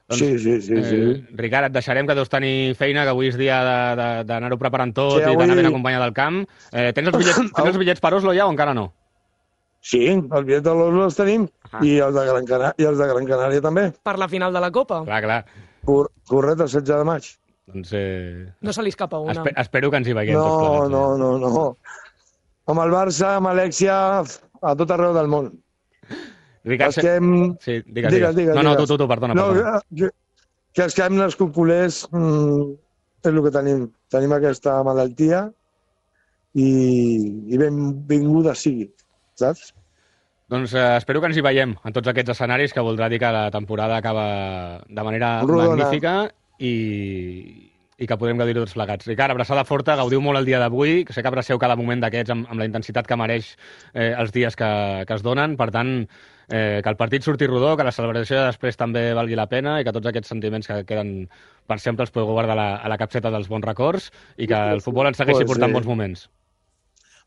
Sí, sí, sí, sí. Eh, Ricard, et deixarem, que deus tenir feina, que avui és dia de- de- d'anar-ho preparant tot Sí, i avui- d'anar ben acompanyat del camp. Eh, tens, els bitllets, tens els bitllets per Oslo ja o encara no? Sí, els bitllets de l'Oslo els tenim i els, de Gran Canària, i els de Gran Canària també. Per la final de la Copa. Clar, clar. Cor correcte, el setze de maig. Doncs eh, No se li escapa una. espe espero que ens hi veiem tots No, plegats. no, no, no. Amb el Barça, amb Alexia, a tot arreu del món. Ricard, Els que hem... Sí, digues, digues, digues. digues, No, no, tu, digues. tu, tu, perdona, No, perdona. que, que els que hem nascut culers mm, és el que tenim. Tenim aquesta malaltia i, i benvinguda sigui, saps? Doncs eh, espero que ens hi veiem en tots aquests escenaris, que voldrà dir que la temporada acaba de manera Rodona. magnífica i, i que podem gaudir tots plegats. Ricard, abraçada forta, gaudiu molt el dia d'avui, que sé que abraceu cada moment d'aquests amb, amb la intensitat que mereix eh, els dies que, que es donen. Per tant, eh, que el partit surti rodó, que la celebració de després també valgui la pena i que tots aquests sentiments que queden per sempre els podeu guardar a la, a la capseta dels bons records i que el futbol ens segueixi Pues portant sí. bons moments.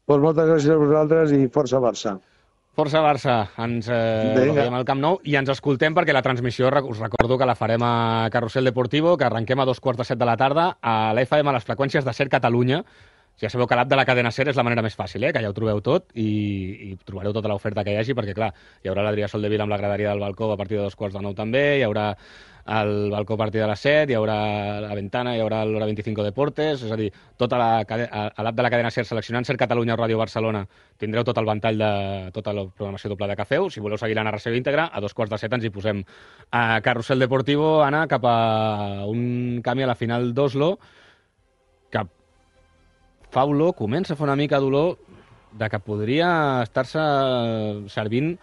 Pues moltes gràcies a vosaltres i força Barça. Força Barça, ens eh, Vinga. veiem al Camp Nou i ens escoltem perquè la transmissió, rec- us recordo que la farem a Carrusel Deportivo, que arrenquem a dos quarts de set de la tarda a l'F M, a les freqüències de Ser Catalunya, Ja sabeu que l'app de la cadena SER és la manera més fàcil, eh? Que ja ho trobeu tot i, i trobareu tota l'oferta que hi hagi, perquè, clar, hi haurà l'Adrià Soldevila amb la graderia del balcó a partir de dos quarts de nou també, hi haurà el balcó a partir de les set, hi haurà la ventana, hi haurà l'hora vint-i-cinc Deportes, és a dir, tota la, a l'app de la cadena SER, seleccionant SER Catalunya o Ràdio Barcelona, tindreu tot el ventall de tota la programació doble que feu. Si voleu seguir la narració íntegra, a dos quarts de set ens hi posem a Carrusel Deportivo, Anna, cap a un canvi a la final d'Oslo, que fa olor, comença a fer una mica d'olor de que podria estar-se servint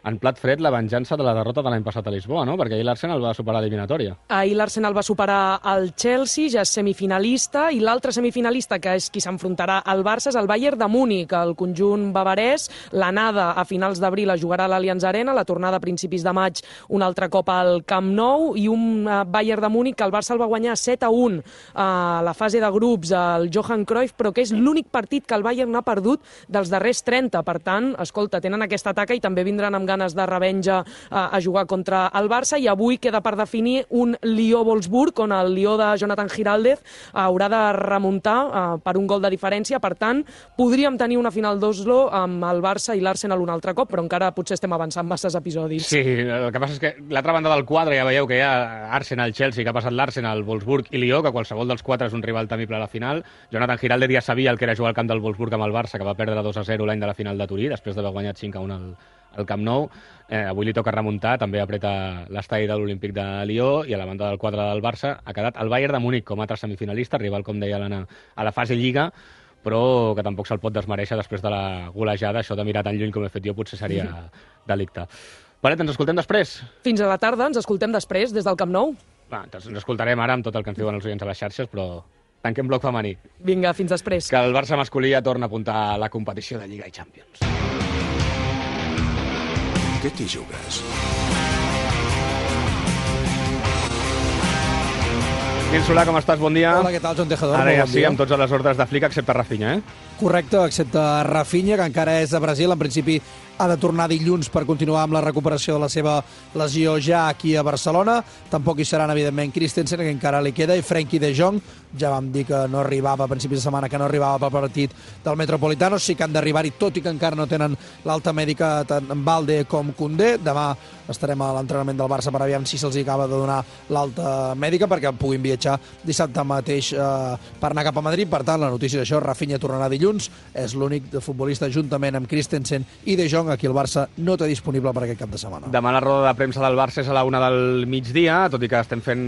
en plat fred la venjança de la derrota de l'any passat a Lisboa, no? Perquè ahir l'Arsenal va superar l'eliminatòria. Ahir l'Arsenal va superar el Chelsea, ja és semifinalista, i l'altre semifinalista, que és qui s'enfrontarà al Barça, és el Bayern de Múnich, el conjunt bavarès. L'anada a finals d'abril es jugarà a l'Allianz Arena, la tornada a principis de maig un altre cop al Camp Nou, i un Bayern de Múnich que el Barça el va guanyar set a un a la fase de grups al Johan Cruyff, però que és l'únic partit que el Bayern ha perdut dels darrers trenta. Per tant, escolta, tenen aquesta taca i també vindran amb ganes de revenja a, a jugar contra el Barça, i avui queda per definir un Lió-Wolfsburg, on el Lió de Jonathan Giraldez haurà de remuntar uh, per un gol de diferència. Per tant, podríem tenir una final d'Oslo amb el Barça i l'Arsenal un altre cop, però encara potser estem avançant masses episodis. Sí, el que passa és que l'altra banda del quadre ja veieu que hi ha Arsenal-Chelsea, que ha passat l'Arsenal, Wolfsburg i Lió, que qualsevol dels quatre és un rival temible a la final. Jonathan Giraldez ja sabia el que era jugar al camp del Wolfsburg amb el Barça, que va perdre dos a zero l'any de la final de Turí, després d'haver guanyat cinc a un al al Camp Nou. Eh, avui li toca remuntar, també apreta l'estadi de l'Olímpic de Lió, i a la banda del quadre del Barça ha quedat el Bayern de Múnich com a altre semifinalista, rival, com deia l'Anna, a la fase Lliga, però que tampoc se'l pot desmereixer després de la golejada. Això de mirar tan lluny com he fet jo potser seria delicte. Paret, ens escoltem després? Fins a la tarda, ens escoltem després, des del Camp Nou. Va, ens escoltarem ara amb tot el que ens diuen els oients a les xarxes, però tanquem bloc femení. Vinga, fins després. Que el Barça masculí ja torna a apuntar a la competició de Lliga i Champions. Què t'hi jugues? Nil Solà, com estàs? Bon dia. Hola, què tal, Joan Tejador? Ara ja bon sí, dia. amb tots a les ordres de Flick, excepte Rafinha, eh? Correcte, excepte Rafinha, que encara és a Brasil. En principi ha de tornar dilluns per continuar amb la recuperació de la seva lesió ja aquí a Barcelona. Tampoc hi seran, evidentment, Christensen, que encara li queda, i Frenkie de Jong. Ja vam dir que no arribava a principis de setmana, que no arribava pel partit del Metropolitano. Sí que han d'arribar-hi, tot i que encara no tenen l'alta mèdica tant en Balde com Koundé. Demà estarem a l'entrenament del Barça per aviam si se'ls acaba de donar l'alta mèdica perquè puguin viatjar dissabte mateix eh, per anar cap a Madrid. Per tant, la notícia d'això, Rafinha tornarà dilluns. És l'únic futbolista, juntament amb Christensen i De Jong, aquí el Barça no té disponible per aquest cap de setmana. Demà la roda de premsa del Barça és a la una del migdia, tot i que estem fent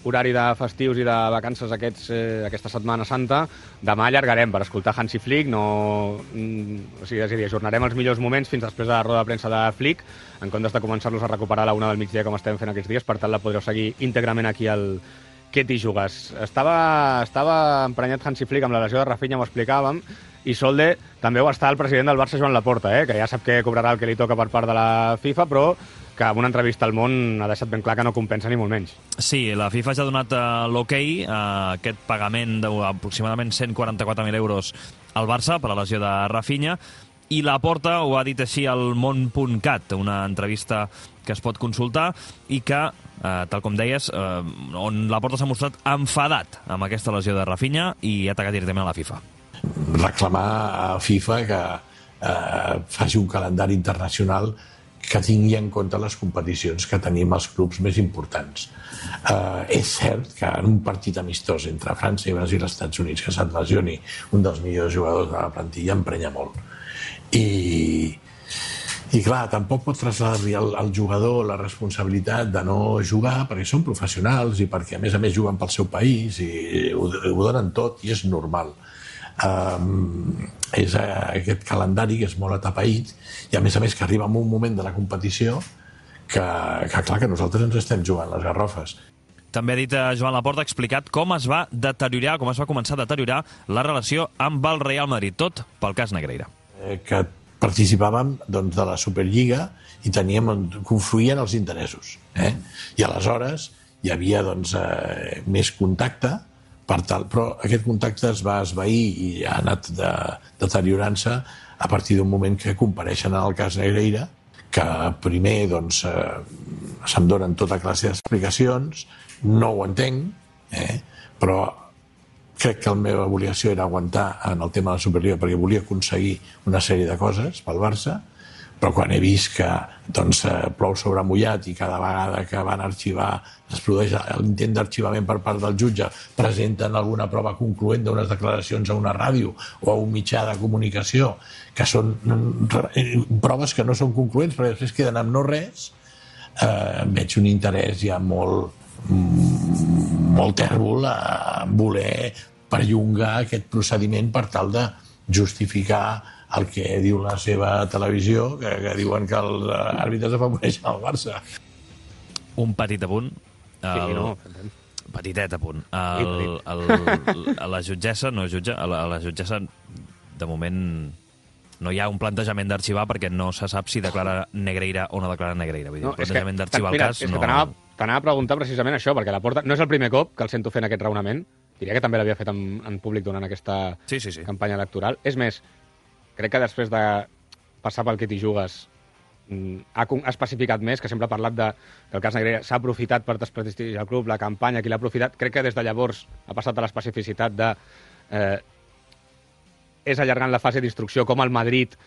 horari de festius i de vacances aquests, eh, aquesta Setmana Santa. Demà allargarem per escoltar Hansi Flick, no... o sigui, és a dir, ajornarem els millors moments fins després de la roda de premsa de Flick, en comptes de començar-los a recuperar a la una del migdia com estem fent aquests dies. Per tant, la podreu seguir íntegrament aquí al Què t'hi jugues. Estava, estava emprenyat Hansi Flick amb la lesió de Rafinha, m'ho explicàvem, i Solde també ho està el president del Barça, Joan Laporta, eh? Que ja sap que cobrarà el que li toca per part de la FIFA, però que en una entrevista al Món ha deixat ben clar que no compensa ni molt menys. Sí, la FIFA ja ha donat uh, l'hoquei a uh, aquest pagament d'aproximadament cent quaranta-quatre mil euros al Barça per la lesió de Rafinha, i Laporta ho ha dit així al món punt cat, una entrevista que es pot consultar i que, eh, tal com deies, eh, on Laporta s'ha mostrat enfadat amb aquesta lesió de Rafinha i ha atacat directament a la FIFA. Reclamar a FIFA que eh, faci un calendari internacional que tingui en compte les competicions que tenim als clubs més importants. Eh, és cert que en un partit amistós entre França i Brasil i els Estats Units que se't lesioni un dels millors jugadors de la plantilla emprenya molt. I, i clar, tampoc pot traslladar-li al, al jugador la responsabilitat de no jugar perquè són professionals i perquè a més a més juguen pel seu país i ho, ho donen tot i és normal. Um, és uh, aquest calendari que és molt atapeït i a més a més que arriba en un moment de la competició que, que clar que nosaltres ens estem jugant les garrofes. També ha dit Joan Laporta, ha explicat com es va deteriorar, com es va començar a deteriorar la relació amb el Real Madrid, tot pel cas Negreira. Que participàvem doncs, de la Superliga i teníem, confluïen els interessos. Eh? I aleshores hi havia doncs, eh, més contacte, per tal, però aquest contacte es va esvair i ha anat de, deteriorant-se a partir d'un moment que compareixen en el cas Negreira, que primer doncs, eh, se'm donen tota classe d'explicacions, no ho entenc, eh? Però crec que la meva obligació era aguantar en el tema de la Superliga perquè volia aconseguir una sèrie de coses pel Barça, però quan he vist que doncs, plou sobre mullat i cada vegada que van arxivar es produeix l'intent d'arxivament per part del jutge, presenten alguna prova concloent d'unes declaracions a una ràdio o a un mitjà de comunicació que són proves que no són concloents perquè després queden amb no res, eh, veig un interès ja molt molt tèrbol a voler perllongar aquest procediment per tal de justificar el que diu la seva televisió, que, que diuen que els àrbitres afavoreixen el Barça. Un petit apunt. El... Sí, no. Petitet apunt. El, el, el, a la jutgessa, no jutge, a la, a la jutgessa, de moment, no hi ha un plantejament d'arxivar perquè no se sap si declara Negreira o no declara Negreira. Vull dir, no, el plantejament d'arxivar el cas... És no... que t'anava t'anava a preguntar precisament això, perquè la Porta no és el primer cop que el sento fent aquest raonament. Diria que també l'havia fet en, en públic durant aquesta sí, sí, sí. campanya electoral. És més, crec que després de passar pel que t'hi jugues ha, ha especificat més, que sempre ha parlat de, que el cas Negreira s'ha aprofitat per desprestigiar el club, la campanya, qui l'ha aprofitat. Crec que des de llavors ha passat a l'especificitat de... Eh, és allargant la fase d'instrucció com el Madrid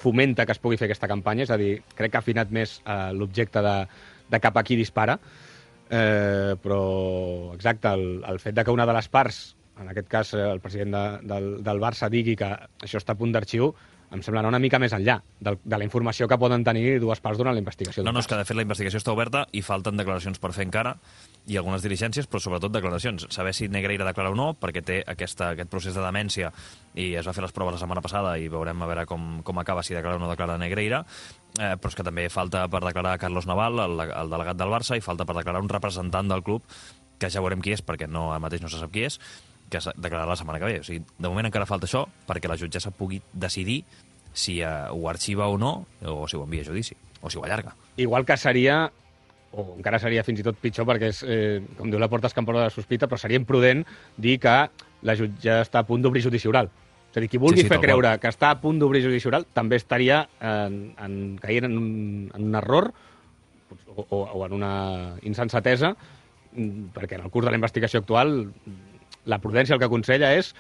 fomenta que es pugui fer aquesta campanya, és a dir, crec que ha afinat més eh, l'objecte de, de cap a qui dispara, eh, però exacte, el, el fet de que una de les parts, en aquest cas el president de, del, del Barça, digui que això està a punt d'arxiu, em sembla anar una mica més enllà de, de la informació que poden tenir dues parts durant la investigació. No, no, és que de fet la investigació està oberta i falten declaracions per fer encara, i algunes diligències, però sobretot declaracions. Saber si Negreira declara o no, perquè té aquesta, aquest procés de demència i es va fer les proves la setmana passada i veurem a veure com, com acaba, si declara o no declara Negreira, eh, però és que també falta per declarar Carlos Naval, el, el delegat del Barça, i falta per declarar un representant del club, que ja veurem qui és, perquè no, ara mateix no se sap qui és, que es declararà la setmana que ve. O sigui, de moment encara falta això perquè la jutgessa pugui decidir si eh, ho arxiva o no, o si ho envia a judici, o si ho allarga. Igual que seria, o encara seria fins i tot pitjor, perquè és, eh, com diu la Porta, escampadora de sospita, però seria imprudent dir que la jutge està a punt d'obrir judici oral. És a dir, qui vulgui sí, sí, fer creure qual. que està a punt d'obrir judici oral també estaria en, en, caient en un, en un error o, o, o en una insensatesa, perquè en el curs de la investigació actual la prudència el que aconsella és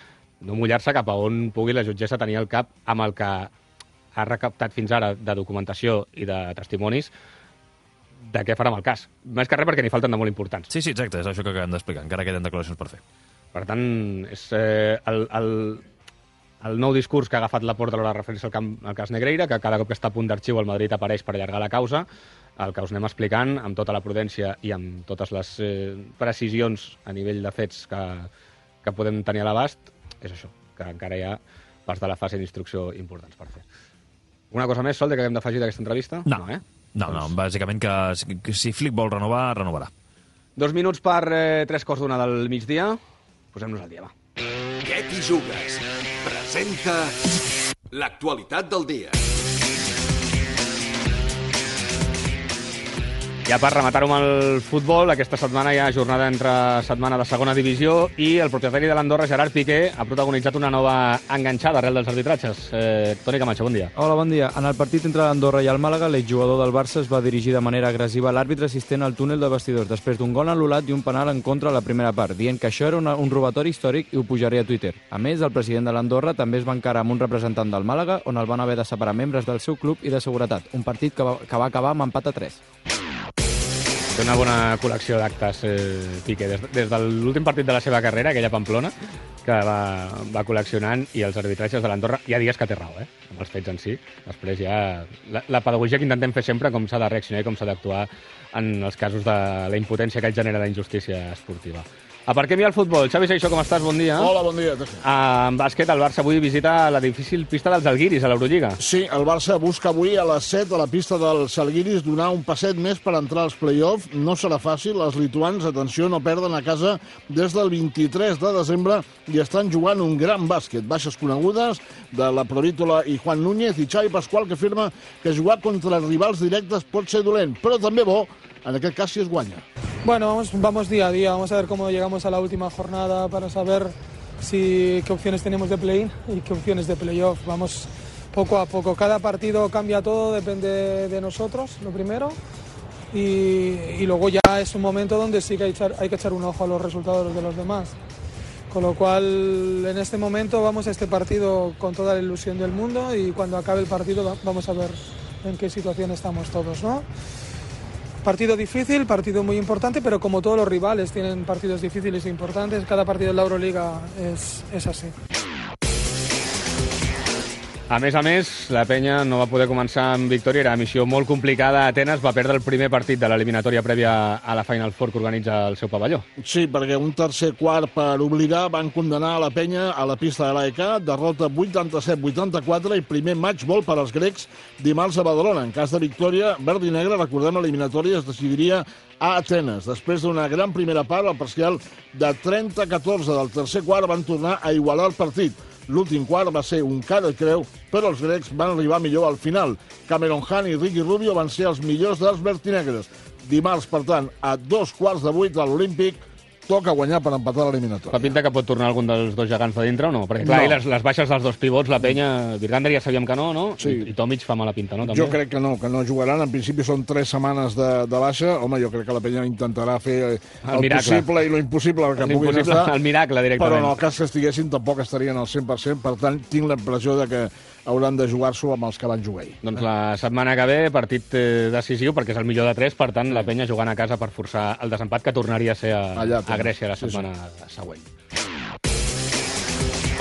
no mullar-se cap a on pugui la jutgessa tenir el cap amb el que ha recaptat fins ara de documentació i de testimonis de què farà amb el cas. Més que res perquè n'hi falten de molt importants. Sí, sí, exacte, és això que acabem d'explicar. Encara queden declaracions per fer. Per tant, és eh, el, el, el nou discurs que ha agafat la Porta a l'hora de referir-se al, camp, al cas Negreira, que cada cop que està a punt d'arxiu el Madrid apareix per allargar la causa, el que us anem explicant amb tota la prudència i amb totes les eh, precisions a nivell de fets que, que podem tenir a l'abast, és això, que encara hi ha parts de la fase d'instrucció importants per fer. Una cosa més, Sol, que haguem d'afegir d'aquesta entrevista? No, no, eh? no, no, bàsicament que si Flick vol renovar, renovarà. Dos minuts per eh, tres quarts d'una del migdia. Posem-nos al dia, va. Què t'hi jugues? Presenta l'actualitat del dia. Ja per rematar-ho amb el futbol, aquesta setmana hi ha jornada entre setmana de segona divisió i el propietari de l'Andorra, Gerard Piqué, ha protagonitzat una nova enganxada arrel dels arbitratges. Eh, Toni Camacho, bon dia. Hola, bon dia. En el partit entre l'Andorra i el Màlaga, l'exjugador del Barça es va dirigir de manera agressiva a l'àrbitre assistent al túnel de vestidors després d'un gol anul·lat i un penal en contra a la primera part, dient que això era una, un robatori històric i ho pujaria a Twitter. A més, el president de l'Andorra també es va encarar amb un representant del Màlaga, on el van haver de separar membres del seu club i de seguretat. Un partit que va, que va acabar amb empat a tres. Té una bona col·lecció d'actes, eh, Piqué, des, des de l'últim partit de la seva carrera, aquella Pamplona, que va, va col·leccionant, i els arbitratges de l'Andorra, hi ha dies que té raó, eh, amb els fets en si. Després ja la, la pedagogia que intentem fer sempre, com s'ha de reaccionar i com s'ha d'actuar en els casos de la impotència que genera la injustícia esportiva. Aparquem ja el futbol. Xavi Seixó, com estàs? Bon dia. Hola, bon dia. Ah, en bàsquet, el Barça avui visita la difícil pista dels Žalgiris a l'Eurolliga. Sí, el Barça busca avui a les set a la pista dels Žalgiris donar un passet més per entrar als play-off. No serà fàcil. Els lituans, atenció, no perden a casa des del vint-i-tres de desembre i estan jugant un gran bàsquet. Baixes conegudes de la Provítola i Juan Núñez i Xavi Pascual, que afirma que jugar contra rivals directes pot ser dolent, però també bo, en aquest cas si es guanya. Bueno, vamos, vamos día a día, vamos a ver cómo llegamos a la última jornada para saber si, qué opciones tenemos de play-in y qué opciones de play-off. Vamos poco a poco, cada partido cambia todo, depende de nosotros, lo primero, y, y luego ya es un momento donde sí que hay, echar, hay que echar un ojo a los resultados de los demás. Con lo cual, en este momento vamos a este partido con toda la ilusión del mundo y cuando acabe el partido vamos a ver en qué situación estamos todos, ¿no? Partido difícil, partido muy importante, pero como todos los rivales tienen partidos difíciles e importantes, cada partido de la Euroliga es, es así. A més a més, la penya no va poder començar amb victòria, era missió molt complicada a Atenes, va perdre el primer partit de l'eliminatòria prèvia a la Final Four que organitza el seu pavelló. Sí, perquè un tercer quart per obligar van condenar a la penya a la pista de l'A E K, derrota vuitanta-set vuitanta-quatre i primer match ball per als grecs dimarts a Badalona. En cas de victòria, verd i negre, recordem, l'eliminatòria es decidiria a Atenes. Després d'una gran primera part, el parcial de trenta a catorze del tercer quart van tornar a igualar el partit. L'últim quart va ser un cara i creu, però els grecs van arribar millor al final. Cameron Hunt i Ricky Rubio van ser els millors dels vertinegres. Dimarts, per tant, a dos quarts de vuit a l'Olímpic, toca guanyar per empatar l'eliminatòria. Fa pinta que pot tornar algun dels dos gegants de dintre o no? Perquè clar, no. les, les baixes dels dos pivots, la penya, Virgander ja sabíem que no, no? Sí. I, i Tomic fa mala pinta, no? També. Jo crec que no, que no jugaran. En principi són tres setmanes de, de baixa. Home, jo crec que la penya intentarà fer el, el possible i lo impossible que puguin estar. El miracle, directament. Però en el cas que estiguessin tampoc estarien al cent per cent. Per tant, tinc la impressió de que hauran de jugar-s'ho amb els que van jugar ahir. Doncs la setmana que ve, partit eh, decisiu, perquè és el millor de tres, per tant, la penya jugant a casa per forçar el desempat que tornaria a ser a, Allà, a Grècia la setmana sí, sí. següent.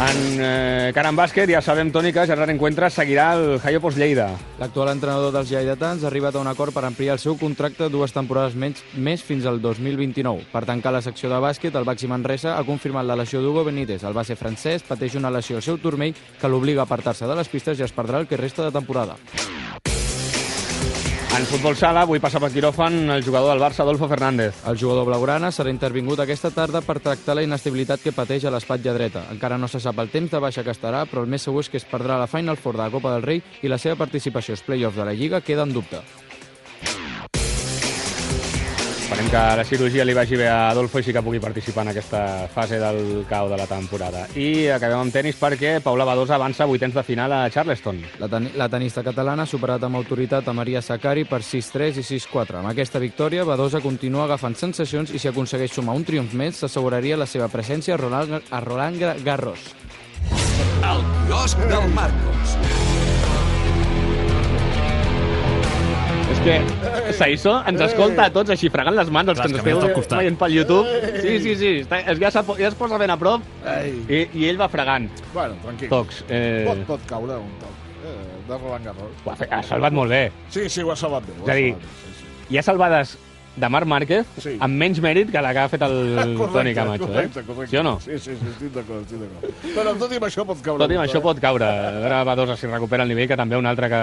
En eh, cara en bàsquet, ja sabem, Toni, que Gerard Encuentra seguirà el Jaiopos Lleida. L'actual entrenador dels lleidatans ha arribat a un acord per ampliar el seu contracte dues temporades menys, més fins al dos mil vint-i-nou. Per tancar la secció de bàsquet, el Baxi Manresa ha confirmat la lesió d'Hugo Benítez. El base francès pateix una lesió al seu turmell que l'obliga a apartar-se de les pistes i es perdrà el que resta de temporada. En futbol sala, avui passa per quiròfan el jugador del Barça, Adolfo Fernández. El jugador blaugrana serà intervingut aquesta tarda per tractar la inestabilitat que pateix a l'espatlla dreta. Encara no se sap el temps de baixa que estarà, però el més segur és que es perdrà la Final Four de la Copa del Rei i la seva participació als play-offs de la Lliga queda en dubte. Esperem que la cirurgia li vagi bé a Adolfo i sí que pugui participar en aquesta fase del cau de la temporada. I acabem amb tenis perquè Paula Badosa avança a vuitens de final a Charleston. La, ten la tenista catalana ha superat amb autoritat a Maria Sakkari per sis tres i sis quatre. Amb aquesta victòria, Badosa continua agafant sensacions i si aconsegueix sumar un triomf més, s'asseguraria la seva presència a Roland, a Roland Garros. El quiosc del Marcos. És que Saiso ens escolta a tots així fregant les mans, els que ens esteu veient pel YouTube. Sí, sí, sí, està, ja, ja es posa ben a prop i, i ell va fregant. Bueno, tranquil. Tocs. Eh... Pot, pot caure un toc eh, de Roland Garros. Ho ha, fet, ha salvat molt bé. Sí, sí, ho ha salvat bé. És a dir, sí, sí. Hi ha salvades de Marc Márquez sí. amb menys mèrit que la que ha fet el correcte, Toni Camacho. Correcte, eh? correcte. Sí o no? Sí, sí, sí, estic d'acord, estic d'acord. Però tot i amb això pot caure. Tot i amb això pot caure. A veure, Badosa si recupera el nivell, que també un altre que,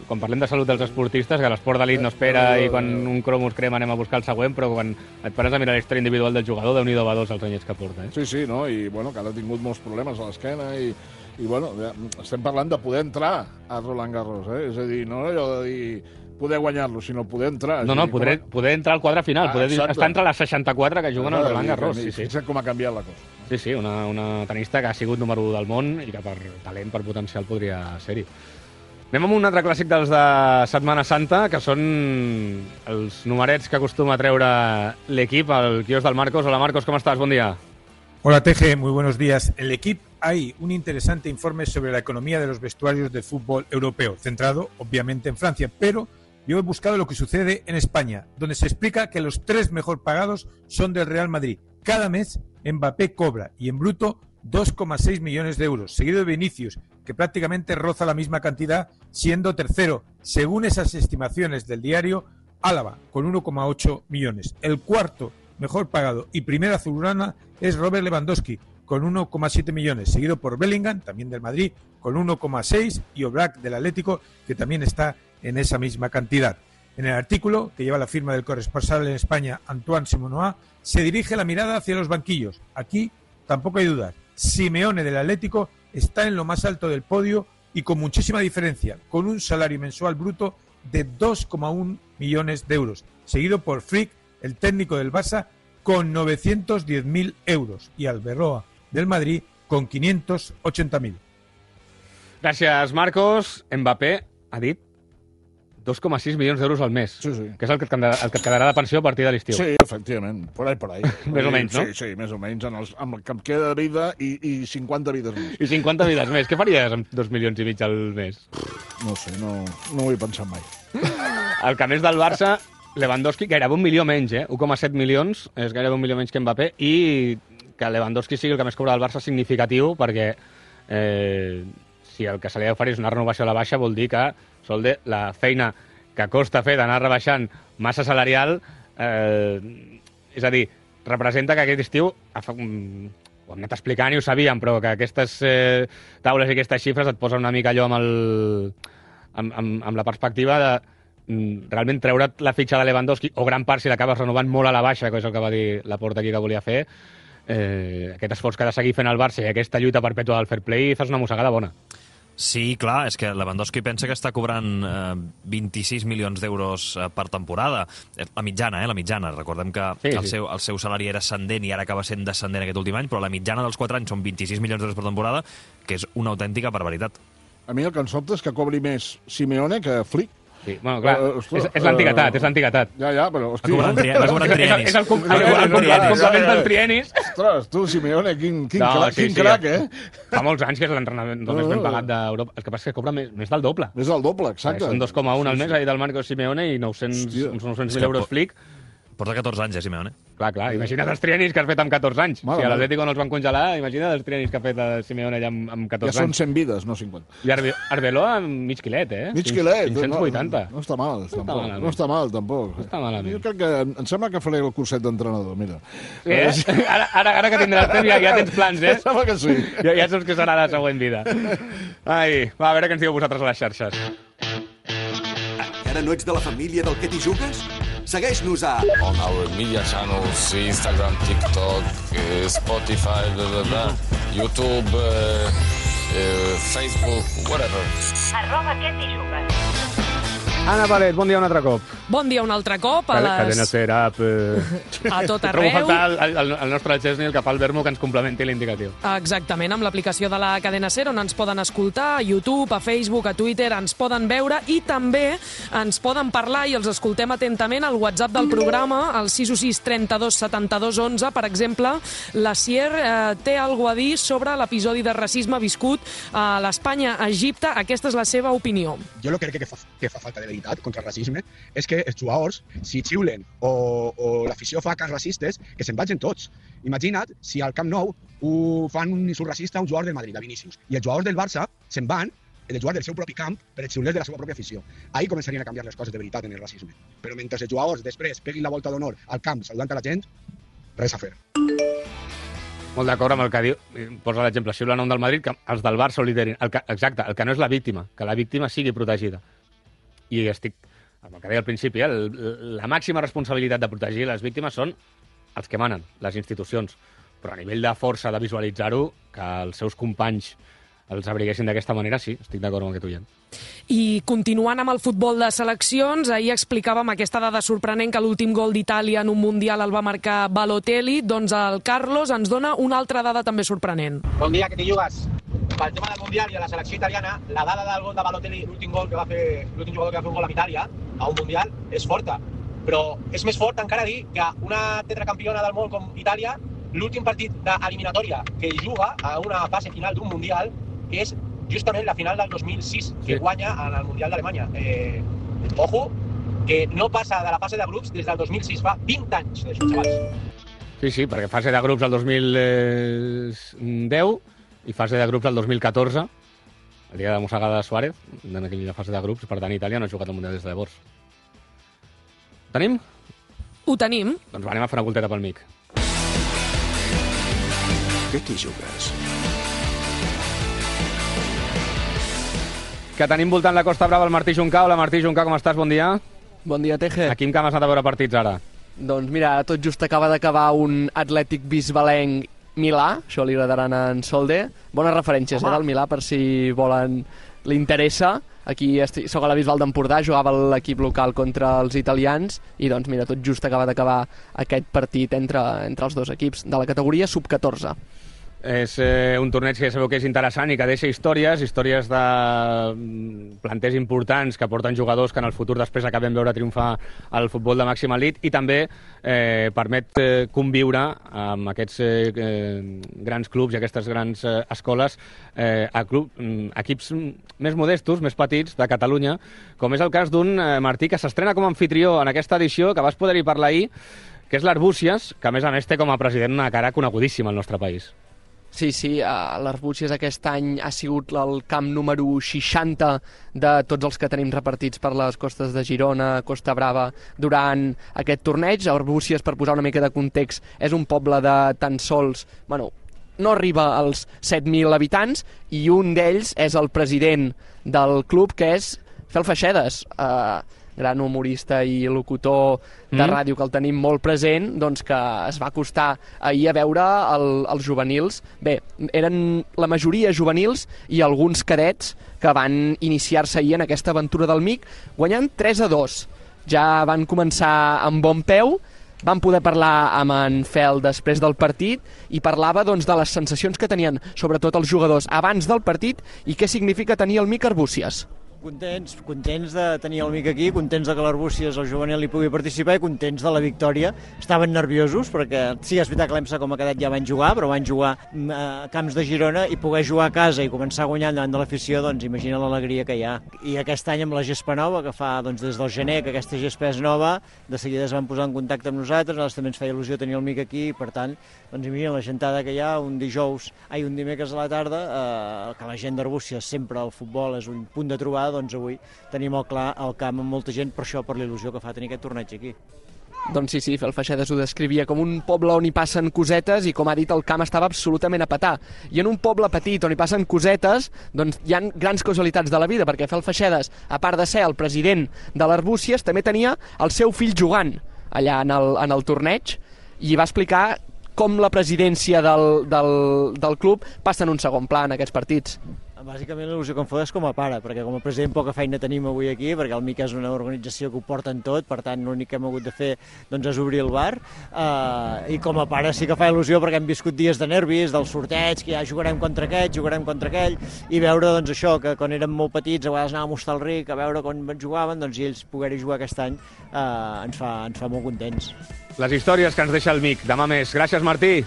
quan parlem de salut dels esportistes, que l'esport d'elit no espera i quan un cromos crema anem a buscar el següent, però quan et pares a mirar la història individual del jugador, Déu-n'hi-do Badosa els anyets que porta. Eh? Sí, sí, no? I bueno, que ara ha tingut molts problemes a l'esquena i, i bueno, ja, estem parlant de poder entrar a Roland Garros, eh? És a dir, no allò de dir poder guanyar-lo, sinó poder entrar. No, no, poder, poder entrar al quadre final, ah, poder estar entre les seixanta-quatre que juguen al Roland Garros. Sí, sí. Fixa't com ha canviat la cosa. Sí, sí, una, una tenista que ha sigut número u del món i que per talent, per potencial, podria ser-hi. Anem amb un altre clàssic dels de Setmana Santa, que són els numerets que acostuma a treure l'equip, el quiosc del Marcos. Hola, Marcos, ¿cómo estás? Buen día. Hola, Teje, muy buenos días. En el equipo hay un interesante informe sobre la economía de los vestuarios del fútbol europeo, centrado, obviamente, en Francia, pero yo he buscado lo que sucede en España, donde se explica que los tres mejor pagados son del Real Madrid. Cada mes Mbappé cobra, y en bruto, dos coma seis millones de euros, seguido de Vinicius, que prácticamente roza la misma cantidad, siendo tercero, según esas estimaciones del diario Álava, con uno coma ocho millones. El cuarto mejor pagado y primera azulgrana es Robert Lewandowski, con uno coma siete millones, seguido por Bellingham, también del Madrid, con uno coma seis, y Oblak del Atlético, que también está en esa misma cantidad. En el artículo, que lleva la firma del corresponsal en España, Antoine Simonoa, se dirige la mirada hacia los banquillos. Aquí tampoco hay dudas. Simeone del Atlético está en lo más alto del podio y con muchísima diferencia, con un salario mensual bruto de dos coma uno millones de euros, seguido por Frick, el técnico del Barça, con novecientos diez mil euros, y Alberroa del Madrid con quinientos ochenta mil. Gràcies, Marcos. Mbappé ha dit dos coma sis milions d'euros al mes, sí, sí. que és el que, et, el que et quedarà de pensió a partir de l'estiu. Sí, efectivament, por ahí, por ahí. Més o menys, no? Sí, sí, més o menys, en els, amb el que em queda de vida i, i cinquanta vides més. I cinquanta vides més. Què faries amb dos milions i mig al mes? No sé, no, no ho he pensat mai. El que més del Barça, Lewandowski, gairebé un milió menys, eh? un coma set milions, és gairebé un milió menys que Mbappé, i que Lewandowski sigui el que més cobra del Barça significatiu, perquè eh, si el que se li ha d'oferir és una renovació a la baixa, vol dir que Solde, la feina que costa fer d'anar rebaixant massa salarial, eh, és a dir, representa que aquest estiu, ho hem anat explicant i ho sabíem, però que aquestes eh, taules i aquestes xifres et posen una mica allò amb, el, amb, amb, amb la perspectiva de realment treure't la fitxa de Lewandowski, o gran part si l'acabes renovant molt a la baixa, que és el que va dir Laporta aquí que volia fer, eh, aquest esforç que ha de seguir fent el Barça i aquesta lluita perpètua del fair play, fas una mossegada bona. Sí, clar, és que Lewandowski pensa que està cobrant eh, vint-i-sis milions d'euros eh, per temporada. La mitjana, eh, la mitjana. Recordem que sí, el, sí. Seu, el seu salari era ascendent i ara acaba sent descendent aquest últim any, però la mitjana dels quatre anys són vint-i-sis milions d'euros per temporada, que és una autèntica barbaritat. A mi el que em sobta és que cobri més Simeone que Flick. Sí, bueno, clar, uh, ostres, és, és l'antiguitat, uh, és l'antiguitat. Ja, ja, però... Hosti, va cobrant trienis. Va cobrant trienis. És el, com, el, el, el, el, el complement dels trienis. Ostres, tu, Simeone, quin, quin, no, crac, sí, quin sí, crac, eh? Fa molts anys que és l'entrenament no, més ben pagat d'Europa. El que passa és que cobra més, més del doble. Més del doble, exacte. Són dos coma un al mes, sí, sí. Ahir del Marco Simeone, i nou-cents mil euros Flick. Porta catorze anys, eh, Simeone? Clar, clar. Imagina't els trienis que has fet amb catorze anys. Mala, si a l'Atlético no els van congelar, imagina't els trienis que ha fet el Simeone allà amb, amb catorze anys. Ja són cent vides, no cinquanta. I Arbe Arbeloa amb mig quilet, eh? Mig quilet. cinc-cents vuitanta. No, no està mal, no tampoc. Està no està mal, tampoc. No està malament. Jo crec que... Em sembla que faré el curset d'entrenador, mira. Eh? Ara, ara, ara que tindràs temps ja, ja tens plans, eh? Sembla que sí. Ja, ja saps que serà la següent vida. Ai, va, a veure què ens diu vosaltres a les xarxes. Encara no ets de la família del que t'hi jugues? Segueix-nos a... On our media channels, Instagram, TikTok, uh, Spotify, blah, blah, blah, YouTube, uh, uh, Facebook, whatever. Arroba què t'hi jugues. Anna Palet, bon dia un altre cop. Bon dia un altre cop. A les... Cadena Ser Up. Eh... A tot arreu. Trobo faltar el, el, el nostre Chesney, el que fa el Vermo, que ens complementi l'indicatiu. Exactament, amb l'aplicació de la Cadena Ser, on ens poden escoltar, a YouTube, a Facebook, a Twitter, ens poden veure i també ens poden parlar i els escoltem atentament al WhatsApp del programa, al sis u sis trenta-dos setanta-dos onze. Per exemple, la Sier eh, té alguna a dir sobre l'episodi de racisme viscut a l'Espanya-Egipte. Aquesta és la seva opinió. Jo lo que crec que fa, que fa falta de veritat contra el racisme és que els jugadors, si xiulen o, o l'afició fa cas racistes, que se'n vagin tots. Imagina't si al Camp Nou ho fan un insult racista a un jugador del Madrid, a Vinícius, i els jugadors del Barça se'n van de jugar del seu propi camp per els xiulers de la seva pròpia afició. Ahí començarien a canviar les coses de veritat en el racisme. Però mentre els jugadors després peguin la volta d'honor al camp saludant a la gent, res a fer. Molt d'acord amb el que diu, posa l'exemple, xiula nom del Madrid, que els del Barça ho liderin. El que, exacte, el que no és la víctima, que la víctima sigui protegida. I estic, amb el que deia al principi, eh, el, la màxima responsabilitat de protegir les víctimes són els que manen, les institucions. Però a nivell de força de visualitzar-ho, que els seus companys els abriguessin d'aquesta manera, sí, estic d'acord amb el que tu hi ha. I continuant amb el futbol de seleccions, ahir explicàvem aquesta dada sorprenent que l'últim gol d'Itàlia en un Mundial el va marcar Balotelli, doncs el Carlos ens dona una altra dada també sorprenent. Bon dia, que t'hi jugues. Pel tema del Mundial i a la selecció italiana, la dada del gol de Balotelli, l'últim gol que va fer, l'últim jugador que va fer un gol amb Itàlia, a un Mundial, és forta. Però és més fort encara dir que una tetracampiona del món com Itàlia, l'últim partit d'eliminatòria que juga a una fase final d'un Mundial és justament la final del dos mil sis, que sí, guanya en el Mundial d'Alemanya. Eh, ojo, que no passa de la fase de grups des del dos mil sis, fa vint anys d'això, xavals. Sí, sí, perquè fase de grups el dos mil deu i fase de grups el dos mil catorze, el dia de mossegada de Suárez, en aquella fase de grups, per tant Itàlia no ha jugat al Mundial des de llavors. Ho tenim? Ho tenim. Doncs va, anem a fer una volteta pel mic. Què t'hi jugues? Que tenim voltant la Costa Brava el Martí Juncà. Hola Martí Juncà, com estàs? Bon dia. Bon dia, Teje. A quin camp has anat a veure partits ara? Doncs mira, tot just acaba d'acabar un Atlètic Bisbalenc Milà, això li agradaran a en Solde. Bones referències, eh, del Milà, per si volen, li interessa. Aquí estic, soc a la Bisbal d'Empordà, jugava l'equip local contra els italians i doncs mira, tot just acaba d'acabar aquest partit entre, entre els dos equips de la categoria sub catorze. És eh, un torneig que ja sabeu que és interessant i que deixa històries, històries de planters importants que porten jugadors que en el futur després acabem veure triomfar al futbol de màxima elit i també eh, permet eh, conviure amb aquests eh, grans clubs i aquestes grans eh, escoles eh, a club, equips més modestos, més petits de Catalunya, com és el cas d'un eh, Martí que s'estrena com a anfitrió en aquesta edició, que vas poder-hi parlar ahir, que és l'Arbúcies, que a més a més té com a president una cara conegudíssima al nostre país. Sí, sí, uh, l'Arbúcies aquest any ha sigut el camp número seixanta de tots els que tenim repartits per les costes de Girona, Costa Brava, durant aquest torneig. Arbúcies, per posar una mica de context, és un poble de tan sols... Bueno, no arriba als set mil habitants i un d'ells és el president del club, que és Fel Feixedes, uh, gran humorista i locutor de mm. ràdio que el tenim molt present, doncs que es va acostar ahir a veure el, els juvenils. Bé, eren la majoria juvenils i alguns cadets que van iniciar-se ahir en aquesta aventura del M I C, guanyant tres a dos. Ja van començar amb bon peu, van poder parlar amb en Fel després del partit i parlava doncs, de les sensacions que tenien, sobretot els jugadors, abans del partit i què significa tenir el M I C Arbúcies. Contents, contents de tenir el M I C aquí, contents de que l'Arbúcies, el juvenil, hi pugui participar i contents de la victòria. Estaven nerviosos perquè sí, és veritat que l'Emsa com a cadet ja van jugar, però van jugar a camps de Girona i poder jugar a casa i començar guanyant davant de l'afició, doncs imagina l'alegria que hi ha. I aquest any amb la gespa nova, que fa doncs, des del gener que aquesta gespa és nova, de seguida es van posar en contacte amb nosaltres, nosaltres també ens feia il·lusió tenir el M I C aquí i per tant, doncs imagina la gentada que hi ha un dijous, ai, un dimecres a la tarda, eh, que la gent d'Arbúcies sempre el futbol és un punt de trobada, doncs avui tenim molt clar el camp amb molta gent, per això, per la il·lusió que fa tenir aquest torneig aquí. Doncs sí, sí, Fel Feixedes ho descrivia com un poble on hi passen cosetes i, com ha dit, el camp estava absolutament a petar. I en un poble petit on hi passen cosetes, doncs hi ha grans causalitats de la vida, perquè Fel Feixedes, a part de ser el president de l'Arbúcies, també tenia el seu fill jugant allà en el, en el torneig i va explicar com la presidència del, del, del club passa en un segon pla en aquests partits. Bàsicament l'il·lusió que em fot és com a pare, perquè com a president poca feina tenim avui aquí, perquè el M I C és una organització que ho porten tot, per tant l'únic que hem hagut de fer doncs, és obrir el bar, uh, i com a pare sí que fa il·lusió perquè hem viscut dies de nervis, del sorteig, que ja jugarem contra aquest, jugarem contra aquell, i veure doncs, això, que quan érem molt petits a vegades anàvem a Hostalric a veure com jugaven, doncs, i ells poder-hi jugar aquest any uh, ens, fa, ens fa molt contents. Les històries que ens deixa el M I C. Demà més. Gràcies, Martí.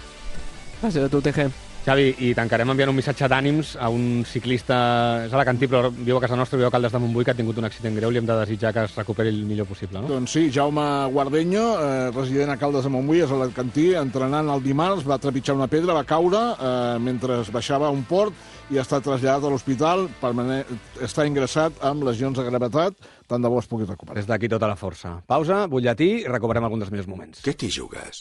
Gràcies a tu, T G. Xavi, i tancarem enviant un missatge d'ànims a un ciclista, és alacantí, però viu a casa nostra, viu a Caldes de Montbui, que ha tingut un accident greu, li hem de desitjar que es recuperi el millor possible, no? Doncs sí, Jaume Guardeño, eh, resident a Caldes de Montbui, és alacantí, entrenant el dimarts, va trepitjar una pedra, va caure eh, mentre baixava un port i ha estat traslladat a l'hospital, està ingressat amb lesions de gravetat, tant de bo es pugui recuperar. Des d'aquí tota la força. Pausa, butlletí i recuperem algun dels millors moments. Què t'hi jugues?